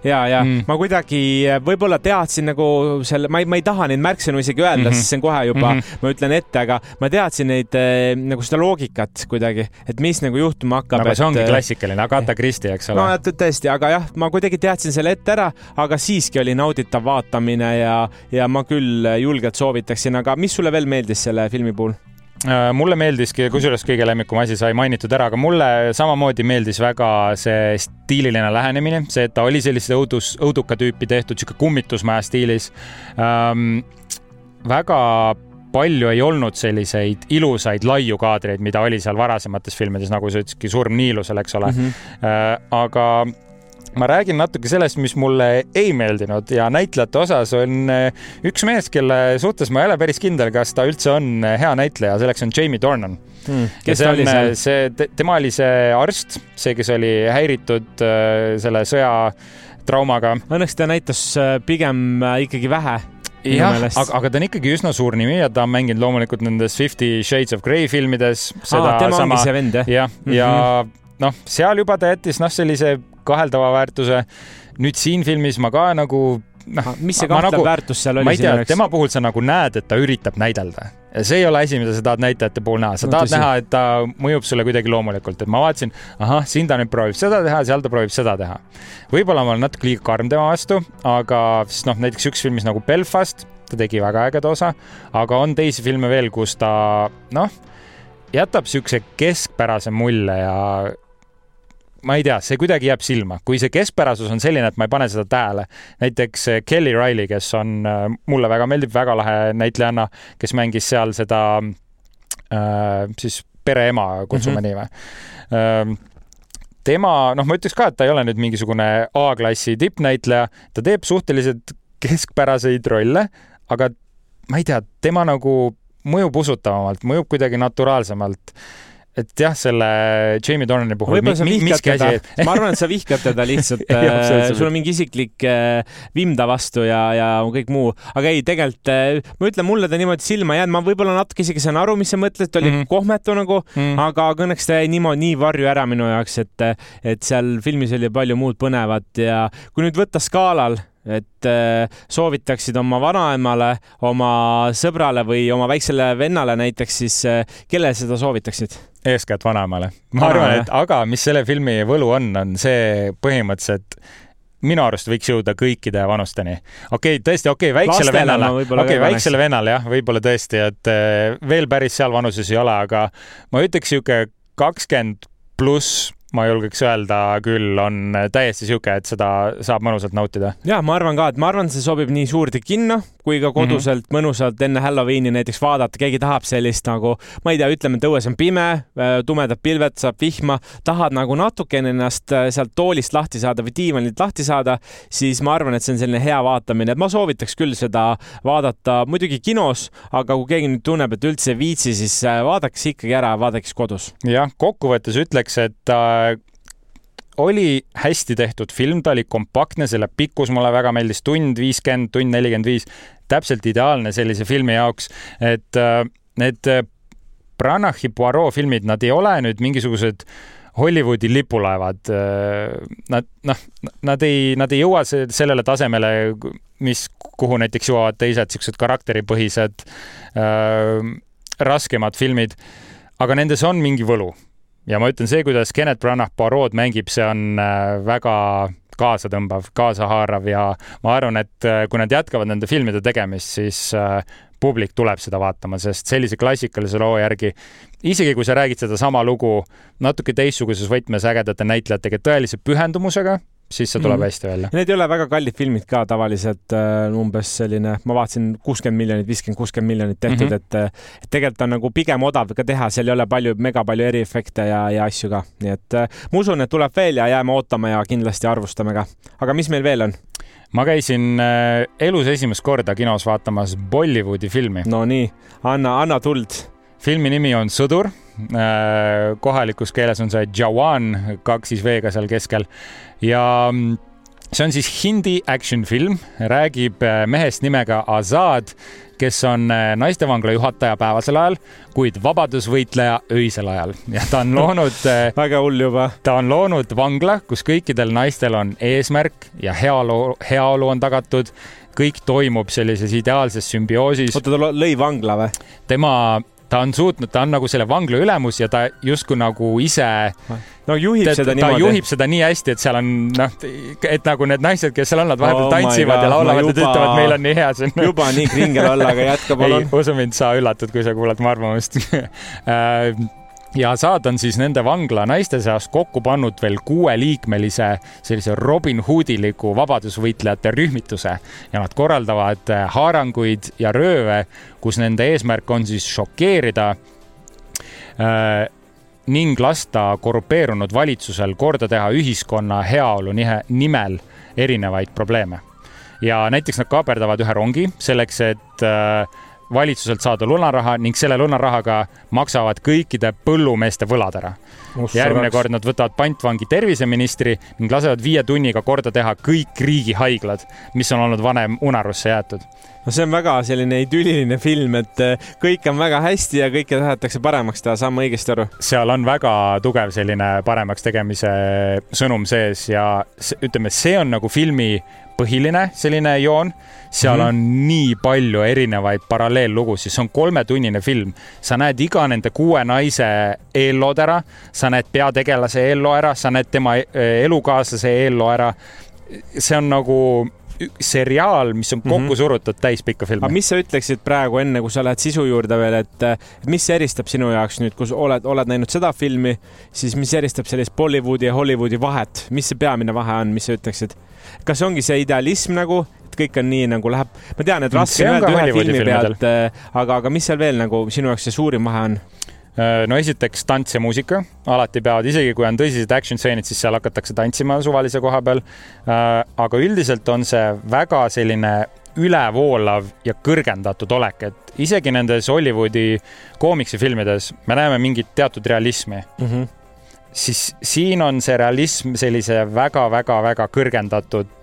Ja ma kuidagi võib-olla teadsin nagu selle, ma ei taha neid märksõnu isegi öelda, sest see on kohe juba, ma ütlen ette, aga ma teadsin neid nagu seda loogikat kuidagi, et mis nagu juhtuma hakkab. Aga see ongi klassikaline, Agatha Christie, eks ole? No tõesti, aga jah, ma kuidagi teadsin selle ette ära, aga siiski oli nauditav vaatamine ja ma küll julgelt soovitaksin, aga mis sulle veel meeldis selle filmi puhul? Mulle meeldiski, kusjuures kõige lemmikum asi sai mainitud ära, aga mulle samamoodi meeldis väga see stiililine lähenemine, see, et ta oli sellist õuduka tüüpi tehtud, siuke kummitusmaja stiilis. Väga palju ei olnud selliseid ilusaid laiu kaadreid, mida oli seal varasemates filmides, nagu sa ütleski, Surm Niilusel, eks ole. Aga ma räägin natuke sellest, mis mulle ei meeldinud ja näitlejate osas on üks mees, kelle suhtes ma ei ole päris kindel, kas ta üldse on hea näitleja, selleks on Jamie Dornan. Kes ta oli seal? Tema oli see arst, see, kes oli häiritud selle sõjatraumaga. Õnneks ta näitas pigem ikkagi vähe. Jah, aga ta on ikkagi üsna suur nimi ja ta on mänginud loomulikult nendes 50 Shades of Grey filmides. Tema ongi see vend, jah? Ja seal juba ta jättis sellise kaheldava väärtuse. Nüüd siin filmis ma ka nagu... mis see kahtlev väärtus seal oli? Ma ei tea, tema puhul sa nagu näed, et ta üritab näidelda. Ja see ei ole asi, mida sa tahad näitajate puhul näha. Sa tahad näha, et ta mõjub sulle kuidagi loomulikult. Et ma vaatasin, siin ta nüüd proovib seda teha, seal ta proovib seda teha. Võib-olla ma olen natuke liiga karm tema vastu, aga näiteks üks filmis nagu Belfast, ta tegi väga ägeda osa, aga on teisi filme veel, kus ta jätab siukse keskpärase mulje ja ma ei tea, see kuidagi jääb silma. Kui see keskpärasus on selline, et ma ei pane seda tähele. Näiteks Kelly Riley, kes on mulle väga meeldib, väga lahe näitlejanna, kes mängis seal seda siis pereema, kutsume nii või. Tema, ma ütleks ka, et ta ei ole nüüd mingisugune A-klassi tippnäitleja. Ta teeb suhteliselt keskpäraseid rolle, aga ma ei tea, tema nagu mõjub usutavamalt, mõjub kuidagi naturaalsemalt. Et jah, selle Jamie Dornani puhul ma arvan, et sa vihkad teda lihtsalt sul on mingi isiklik vimda vastu ja kõik muu, aga ei, tegelikult ma ütlen, mulle ta niimoodi silma jäänud, ma võib-olla natuke isegi saan aru, mis sa mõtled, ta oli kohmetu nagu, aga õnneks ta jäi nii varju ära minu jaoks, et seal filmis oli palju muud põnevat ja kui nüüd võtta skaalal, et soovitaksid oma vanaemale, oma sõbrale või oma väiksele vennale näiteks, siis kelle seda soovitaksid? Eeskätt vanaemale. Ma arvan, et aga mis selle filmi võlu on see põhimõtteliselt minu arust võiks jõuda kõikide vanusteni. Tõesti, väiksele vennale, jah, võib-olla tõesti, et veel päris seal vanuses ei ole, aga ma ütleks 20 pluss ma julgeks öelda küll, on täiesti siuke, et seda saab mõnusalt nautida. Ja, ma arvan ka, et see sobib nii suurde kinno kui ka koduselt mõnusalt enne Halloweeni näiteks vaadata, keegi tahab sellist nagu, ma ei tea, ütleme, et õues on pime, tumedad pilved, saab vihma, tahad nagu natukene ennast sealt toolist lahti saada või diivanilt lahti saada, siis ma arvan, et see on selline hea vaatamine, et ma soovitaks küll seda vaadata muidugi kinos, aga kui keegi nüüd tunneb, et üldse ei viitsi, siis vaadaks ikkagi ära, vaadaks kodus. Jah, kokkuvõttes ütleks, et oli hästi tehtud film, ta oli kompaktne, selle pikkus mulle väga meeldis, tund 50, tund 45, täpselt ideaalne sellise filmi jaoks, et need Branachi Poirot filmid, nad ei ole nüüd mingisugused Hollywoodi lipulaevad. Nad ei jõua sellele tasemele, kuhu näiteks jõuavad teised siuksed karakteripõhised raskemad filmid, aga nendes on mingi võlu. Ja ma ütlen, see, kuidas Kenneth Branagh Poirot mängib, see on väga kaasatõmbav, kaasahaarav ja ma arvan, et kui nad jätkavad nende filmide tegemist, siis publik tuleb seda vaatama, sest sellise klassikalise loo järgi, isegi kui sa räägid seda sama lugu natuke teistsuguses võtmes ägedate näitlejatega, tõelise pühendumusega, siis see tuleb hästi välja. Need ei ole väga kallid filmid ka tavaliselt, umbes selline, ma vaatasin 60 miljonit, 50-60 miljonit tehtud, et tegelikult on nagu pigem odav ka teha, seal ei ole mega palju eriefekte ja asju ka. Nii et ma usun, et tuleb veel ja jääme ootama ja kindlasti arvustame ka. Aga mis meil veel on? Ma käisin elus esimest korda kinos vaatamas Bollywoodi filmi. No nii, anna tuld. Filmi nimi on Sõdur. Kohalikus keeles on see Jawan, 2 V-ga seal keskel. Ja see on siis hindi action film, räägib mehest nimega Azad, kes on naistevangla juhataja päevasel ajal, kuid vabadusvõitleja öisel ajal. Ja ta on loonud väga hull juba. Ta on loonud vangla, kus kõikidel naistel on eesmärk ja heaolu on tagatud. Kõik toimub sellises ideaalses sümbioosis. Oota, ta lõi vangla või? Ta on nagu selle vangla ülemus ja ta justkui nagu ise juhib seda niimoodi. Ta juhib seda nii hästi, et seal on, et nagu need naised, kes seal on, nad vahepeal tantsivad ja laulavad ja ütlevad, meil on nii hea siin. Juba nii kringel olla, aga jätka palun. Ei, usu mind, sa üllatud, kui sa kuulad mu arvamust. Ja Saad on siis nende vangla naiste seast kokku pannud veel 6-liikmelise sellise Robin Hoodiliku vabadusvõitlejate rühmituse ja nad korraldavad haaranguid ja rööve, kus nende eesmärk on siis šokeerida ning lasta korrupeerunud valitsusel korda teha ühiskonna heaolu nimel erinevaid probleeme. Ja näiteks nad kaaperdavad ühe rongi selleks, et valitsuselt saada lunaraha ning selle lunarahaga maksavad kõikide põllumeeste võlad ära. Järgmine kord nad võtavad pantvangi terviseministri ning lasevad 5 tunniga korda teha kõik riigihaiglad, mis on olnud vanem unarusse jäetud. No see on väga selline idülliline film, et kõik on väga hästi ja kõike tahetakse paremaks teha, saan ma õigesti aru? Seal on väga tugev selline paremaks tegemise sõnum sees ja ütleme, see on nagu filmi põhiline selline joon. Seal on nii palju erinevaid paralleellugusid, see on 3-tunnine film. Sa näed iga nende 6 naise eellood ära, sa näed peategelase eelloo ära, sa näed tema elukaaslase eelloo ära. See on nagu seriaal, mis on kokku surutud täispikka filmi. Aga mis sa ütleksid praegu enne, kui sa lähed sisu juurde veel, et mis eristab sinu jaoks nüüd, kus oled näinud seda filmi, siis mis eristab sellist Bollywoodi ja Hollywoodi vahet? Mis see peamine vahe on, mis sa ütleksid? Kas ongi see idealism nagu, et kõik on nii nagu läheb? Ma tean, et raske on öelda ühe filmi pealt, aga mis seal veel nagu sinu jaoks see suurim vahe on? No esiteks tants ja muusika, alati peavad, isegi kui on tõsised action-seenid, siis seal hakatakse tantsima suvalise koha peal. Aga üldiselt on see väga selline ülevoolav ja kõrgendatud olek, et isegi nendes Hollywoodi koomiksifilmides me näeme mingit teatud realismi. Siis siin on see realism sellise väga-väga-väga kõrgendatud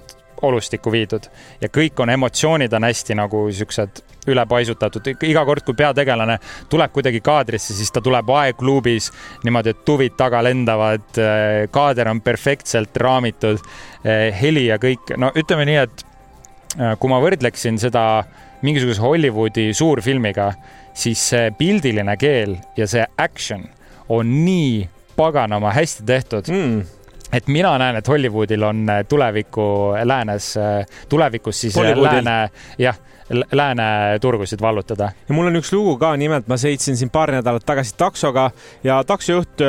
olustikku viidud ja kõik on emotsioonid on hästi nagu siuksed ülepaisutatud. Iga kord, kui peategelane tuleb kuidagi kaadrisse, siis ta tuleb aegluubis niimoodi, et tuvid taga lendavad, kaader on perfektselt raamitud, heli ja kõik. No ütleme nii, et kui ma võrdleksin seda mingisuguse Hollywoodi suurfilmiga, siis see pildiline keel ja see action on nii paganama hästi tehtud. et mina näen, et Hollywoodil on tulevikus siis lääne turgusid vallutada. Ja mul on üks lugu ka, nimelt ma sõitsin siin paar nädalat tagasi taksoga ja taksojuht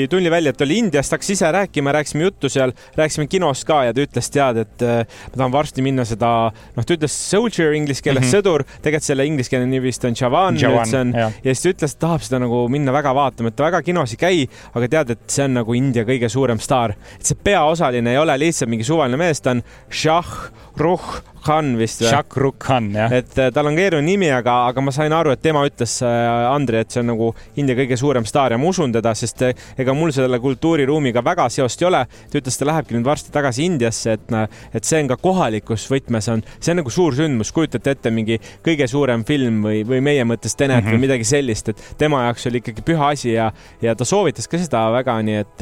tuli välja, et oli Indiast, hakkas ise rääkisime juttu seal, rääkisime kinost ka ja ta ütles, et ma tahan varsti minna seda, ta ütles soldier inglise keeles sõdur, tegelikult selle inglise keele nimi vist on Jawan ja siis ta ütles, et tahab seda nagu minna väga vaatama, et ta väga kinos ei käi, aga tead, et see on nagu India kõige suurem staar. Et see peaosaline ei ole lihtsalt mingi suvaline mees, ta on Shah Rukh Khan vist. Shah Rukh Khan, jah. Et tal on keeruline nimi, aga ma sain aru, et tema ütles Andri, et see on nagu India kõige suurem staar ja ma usun teda, sest ega mul selle kultuuriruumiga väga seost ei ole. Ta ütles, ta lähebki nüüd varsti tagasi Indiasse, et see on ka kohalikus võtmes see on nagu suur sündmus, kujutate ette mingi kõige suurem film või meie mõttes Tenet või midagi sellist, et tema jaoks oli ikkagi püha asi ja ta soovitas ka seda väga, nii et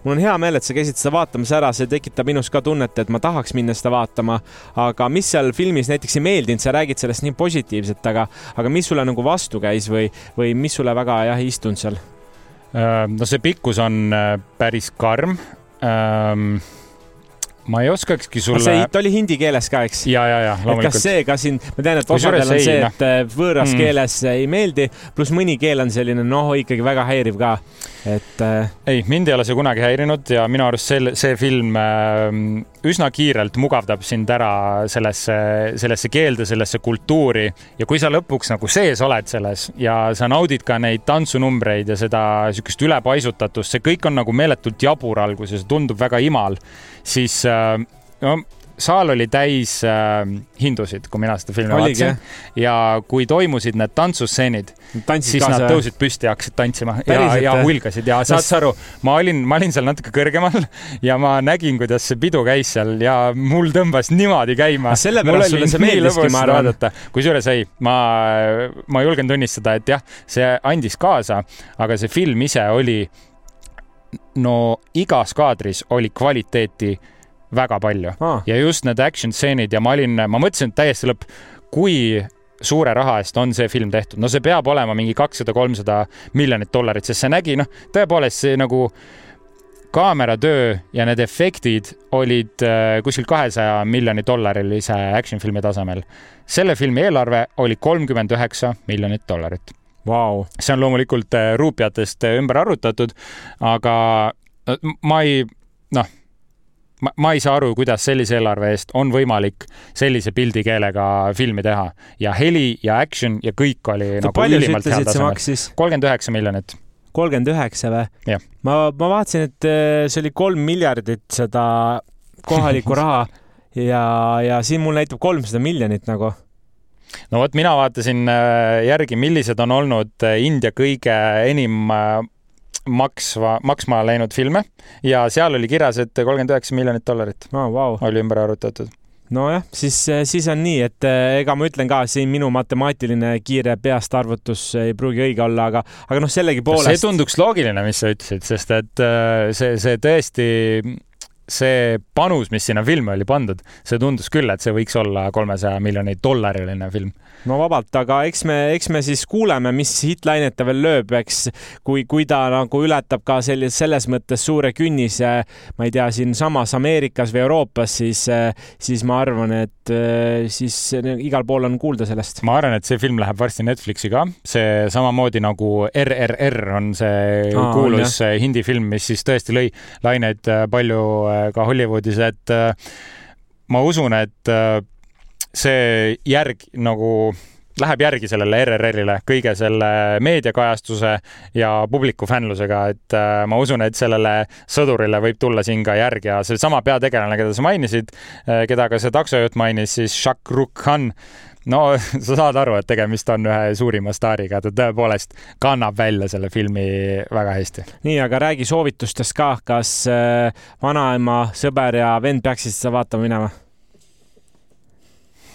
mul on hea meel, et sa käisid seda vaatamas ära, see tekitab minus ka tunnet, et ma tahaks minna seda vaatama, aga mis seal filmis näiteks ei meeldinud, sa räägid sellest nii positiivselt, aga mis sulle nagu vastu käis või mis sulle väga ei istunud seal? No see pikkus on päris karm. Ma ei oskakski sulle... See oli hindi keeles ka, eks? Ja, loomulikult. Kas see ka siin, ma tean, et osadel on see, et võõras keeles ei meeldi, pluss mõni keel on selline, ikkagi väga häiriv ka. Ei, mind ei ole see kunagi häirinud ja minu arust see film üsna kiirelt mugavdab sind ära sellesse keelde, sellesse kultuuri ja kui sa lõpuks nagu sees oled selles ja sa naudid ka neid tantsunumbreid ja seda sükest ülepaisutatust, see kõik on nagu meeletult jabur alguses, tundub väga imal, siis saal oli täis hindusid, kui mina seda filmi vaatasin. Ja kui toimusid need tantsusseenid, siis nad tõusid püsti ja hakkasid tantsima ja hulgasid. Ja saad sa aru, ma olin seal natuke kõrgemal ja ma nägin, kuidas see pidu käis seal ja mul tõmbas niimoodi käima. Sellepärast sulle see meeldiski, ma arvan. Kusjuures ma julgen tunnistada, et jah, see andis kaasa, aga see film ise oli, igas kaadris oli kvaliteeti väga palju. Ja just need action stseenid ja ma mõtlesin täiesti lõpp, kui suure raha eest on see film tehtud. See peab olema mingi $200-300 miljonit, sest see nägi, tõepoolest see nagu kaameratöö ja need efektid olid kuskil $200 miljonit action filmi tasemel. Selle filmi eelarve oli $39 miljonit. Wow. See on loomulikult ruupiatest ümber arvutatud, aga ma ei saa aru, kuidas sellise eelarve eest on võimalik sellise pildikeelega filmi teha. Ja heli ja action ja kõik oli nagu ülimalt head tasemel. $39 miljonit. 39 või? Jah. Ma vaatasin, et see oli 3 miljardit seda kohalikku raha ja siin mul näitab 300 miljonit nagu. No vot, mina vaatasin järgi, millised on olnud India kõige enim maksma läinud filme ja seal oli kirjas, et $39 miljonit. Wow. Oli ümber arvutatud. Nojah, siis on nii, et ega ma ütlen ka, siin minu matemaatiline kiire peast arvutus ei pruugi õige olla, aga sellegi poolest... See tunduks loogiline, mis sa ütlesid, sest et see tõesti... See panus, mis sinna filmi oli pandud, see tundus küll, et see võiks olla $300 miljonit film. No vabalt, aga eks me siis kuuleme, mis hitlaineta veel lööb, eks kui ta nagu ületab ka selles mõttes suure künnise, ma ei tea, siin samas Ameerikas või Euroopas, siis ma arvan, et siis igal pool on kuulda sellest. Ma arvan, et see film läheb varsti Netflixi ka. See samamoodi nagu RRR on see kuulus hindi film, mis siis tõesti lõi laineid palju ka Hollywoodis, et ma usun, et see läheb järgi sellele RRR-ile kõige selle meediakajastuse ja publiku fännlusega, et ma usun, et sellele sõdurile võib tulla siin ka järgi ja see sama peategelane, keda sa mainisid, keda ka see taksojuht mainis, siis Shah Rukh Khan. Sa saad aru, et tegemist on ühe suurima staariga, ta tõepoolest kannab välja selle filmi väga hästi. Nii, aga räägi soovitustest ka, kas vanaema, sõber ja vend peaksid seda vaatama minema?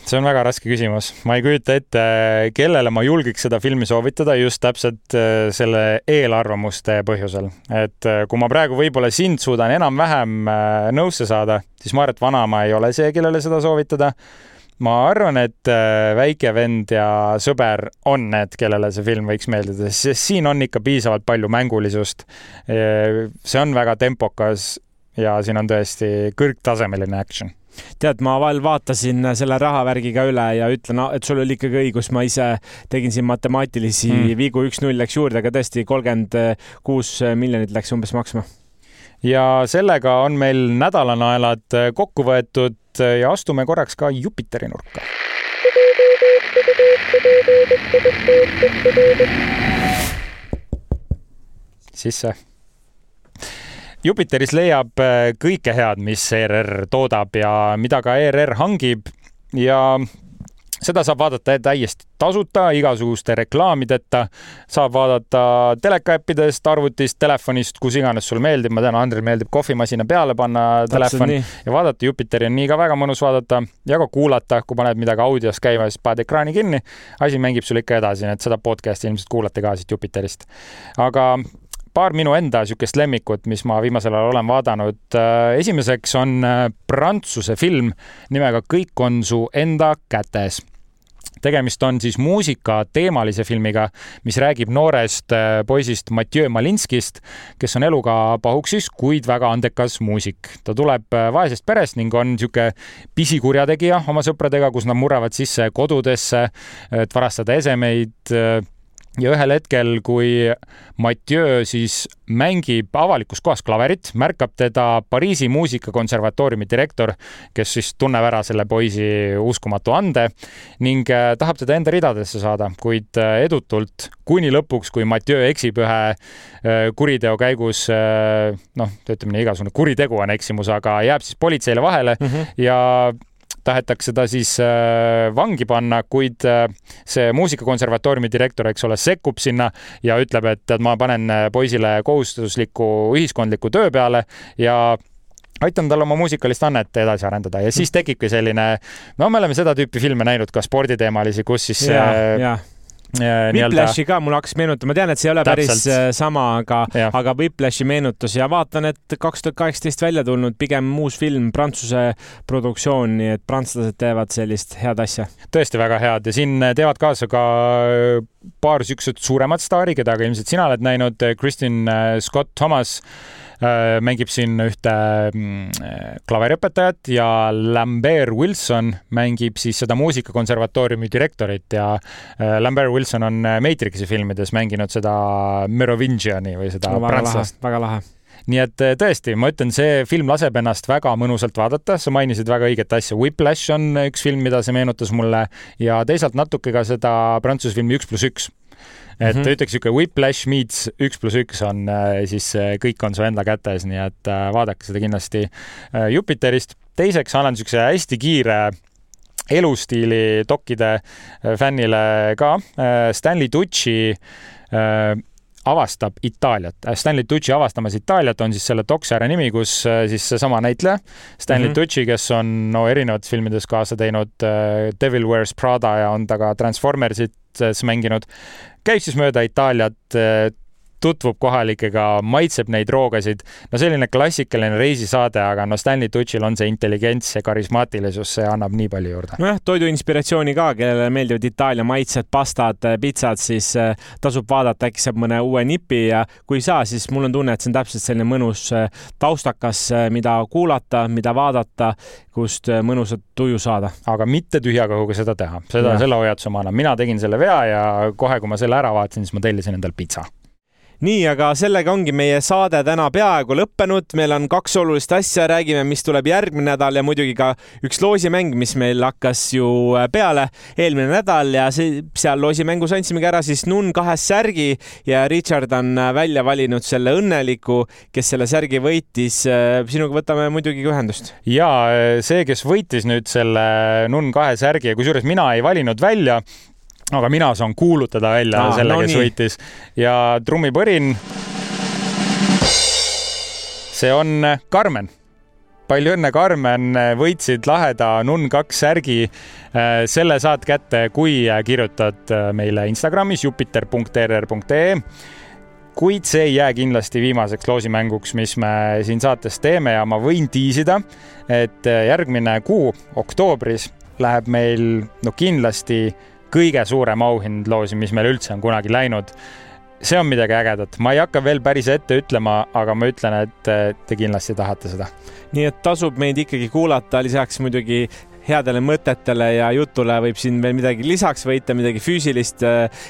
See on väga raske küsimus. Ma ei kujuta ette, kellele ma julgiks seda filmi soovitada just täpselt selle eelarvamuste põhjusel. Et kui ma praegu võib-olla sind suudan enam-vähem nõusse saada, siis ma arvan, et vanaema ei ole see, kellele seda soovitada. Ma arvan, et väike vend ja sõber on need, kellele see film võiks meeldida, sest siin on ikka piisavalt palju mängulisust. See on väga tempokas ja siin on tõesti kõrgtasemeline action. Tead, ma veel vaatasin selle rahavärgiga üle ja ütlen, et sul oli ikkagi õigus, ma ise tegin siin matemaatilisi viigu, 1-0 läks juurde, aga tõesti 36 miljonit läks umbes maksma. Ja sellega on meil nädalanaelad kokku võetud ja astume korraks ka Jupiteri nurka. Sisse. Jupiteris leiab kõike head, mis ERR toodab ja mida ka ERR hangib ja seda saab vaadata täiesti tasuta, igasuguste reklaamideta, saab vaadata telekaäppidest, arvutist, telefonist, kus iganes sul meeldib. Ma tean, Andril meeldib kohvimasina peale panna telefon ja vaadata. Jupiteri on nii ka väga mõnus vaadata ja ka kuulata, kui paned midagi audios käima, siis paned ekraani kinni. Asi mängib sul ikka edasi, et seda podcasti ilmselt kuulate ka siit Jupiterist. Aga paar minu enda sükest lemmikut, mis ma viimasel ajal olen vaadanud. Esimeseks on prantsuse film nimega Kõik on su enda kätes. Tegemist on siis muusika teemalise filmiga, mis räägib noorest poisist Mathieu Malinskist, kes on eluga pahuksis, kuid väga andekas muusik. Ta tuleb vaesest perest ning on siuke pisikurjategija oma sõpradega, kus nad murravad sisse kodudesse, et varastada esemeid. Ja ühel hetkel, kui Mathieu siis mängib avalikus kohas klaverit, märkab teda Pariisi muusikakonservatooriumi direktor, kes siis tunneb ära selle poisi uskumatu ande ning tahab teda enda ridadesse saada, kuid edutult kuni lõpuks, kui Mathieu eksib ühe kuriteo käigus, ütleme nii, igasugune kuritegu on eksimus, aga jääb siis politseile vahele ja tahetakse ta siis vangi panna, kuid see muusikakonservatooriumi direktor, eks ole, sekkub sinna ja ütleb, et ma panen poisile kohustusliku ühiskondliku töö peale ja aitan tal oma muusikalist annet edasi arendada. Ja siis tekibki selline, me oleme seda tüüpi filme näinud ka sporditeemalisi, kus siis Whiplashi ka mul hakkas meenutama, tean, et see ei ole päris sama, aga Whiplashi meenutus ja vaatan, et 2018 välja tulnud pigem uus film, prantsuse produktsioon, nii et prantslased teevad sellist head asja. Tõesti väga head ja siin teevad kaasa ka paar siuksed suuremad staari, keda ka ilmselt sina oled näinud. Kristin Scott Thomas mängib siin ühte klaveriõpetajat ja Lambert Wilson mängib siis seda muusikakonservatooriumi direktorit ja Lambert Wilson on Matrixi filmides mänginud seda Merovingiani või seda prantslast. Väga lahe. Nii et tõesti, ma ütlen, see film laseb ennast väga mõnusalt vaadata. Sa mainisid väga õiget asja. Whiplash on üks film, mida see meenutas mulle ja teisalt natuke ka seda prantsuse filmi 1+1. Et ütleks siuke Whiplash meets 1+1 on siis Kõik on su enda kätes, nii et vaadake seda kindlasti Jupiterist. Teiseks annan siukse hästi kiire elustiili dokkide fännile ka. Stanley Tucci avastab Itaaliat. Stanley Tucci avastamas Itaaliat on siis selle doksjärje nimi, kus siis seesama näitleja Stanley Tucci, kes on erinevates filmides kaasa teinud Devil Wears Prada ja on ta ka Transformersit mänginud. Käib siis mööda Itaaliat, tutvub kohalikega, maitseb neid roogasid. No selline klassikaline reisisaade, aga Stanley Tucci'l on see intelligents ja karismaatilisus, see annab nii palju juurde. Nojah, toidu inspiratsiooni ka, kellele meeldivad Itaalia maitsed, pastad, pitsad, siis tasub vaadata, äkki saab mõne uue nipi ja kui saa, siis mul on tunne, et see on täpselt selline mõnus taustakas, mida kuulata, mida vaadata, kust mõnusat tuju saada. Aga mitte tühja kõhuga seda teha. Selle hoiatuse ma annan. Mina tegin selle vea ja kohe, kui ma selle ära vaatasin, siis ma tellisin endal pitsa. Nii, aga sellega ongi meie saade täna peaaegu lõppenud. Meil on 2 olulist asja, räägime, mis tuleb järgmine nädal ja muidugi ka üks loosimäng, mis meil hakkas ju peale eelmine nädal ja seal loosimängus andsimegi ära siis Nun 2 särgi ja Richard on välja valinud selle õnneliku, kes selle särgi võitis. Sinuga võtame muidugi ühendust. Ja see, kes võitis nüüd selle Nun 2 särgi ja kusjuures mina ei valinud välja, aga mina saan kuulutada välja selle, kes võitis. Ja trummipõrin. See on Karmen. Palju õnne, Karmen. Võitsid laheda Nun 2 särgi. Selle saad kätte, kui kirjutad meile Instagramis jupiter.rr.ee. Kuid see ei jää kindlasti viimaseks loosimänguks, mis me siin saates teeme ja ma võin tiisida, et järgmine kuu, oktoobris, läheb meil kindlasti kõige suurem auhind loosi, mis meil üldse on kunagi läinud. see on midagi ägedat. Ma ei hakka veel päris ette ütlema, aga ma ütlen, et te kindlasti tahate seda. Nii et tasub meid ikkagi kuulata, lisaks muidugi headele mõtetele ja jutule võib siin veel midagi lisaks võita, midagi füüsilist.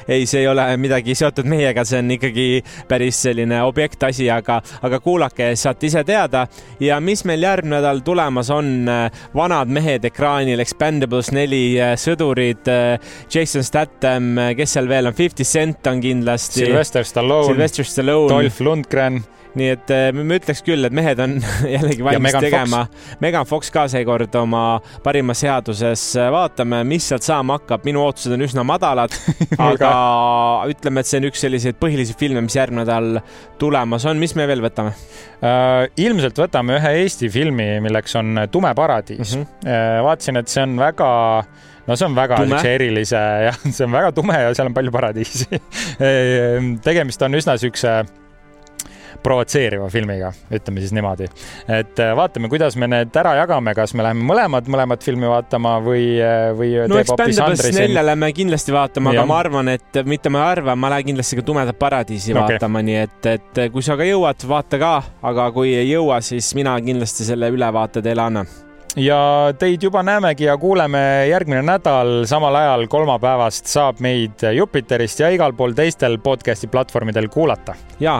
Ei, see ei ole midagi seotud meiega, see on ikkagi päris selline objektasi, aga kuulake, saate ise teada. Ja mis meil järgmine nädal tulemas on? Vanad mehed ekraanil, Expendables 4, sõdurid, Jason Statham, kes seal veel on? 50 Cent on kindlasti. Sylvester Stallone. Dolph Lundgren. Nii et me ütleks küll, et mehed on jällegi valmis tegema. Megan Fox ka seekord oma parima seaduses. Vaatame, mis sealt saama hakkab. Minu ootused on üsna madalad, aga ütleme, et see on üks selliseid põhilisi filme, mis järgmine nädal tulemas on. Mis me veel võtame? Ilmselt võtame ühe Eesti filmi, milleks on Tume paradiis. Vaatasin, et see on väga... No see on väga erilise ja see on väga tume ja seal on palju paradiisi. Tegemist on üsna sükse provotseeriva filmiga, ütleme siis niimoodi. Et vaatame, kuidas me need ära jagame, kas me läheme mõlemad filmi vaatama või no Expendables 4 lähme kindlasti vaatama, aga ma arvan, et mitte ma lähen kindlasti ka Tumedat paradiisi vaatama, nii et kui sa ka jõuad, vaata ka, aga kui ei jõua, siis mina kindlasti selle ülevaate teile annan. Ja teid juba näemegi ja kuuleme järgmine nädal samal ajal kolmapäevast saab meid Jupiterist ja igal pool teistel podcasti platvormidel kuulata. Ja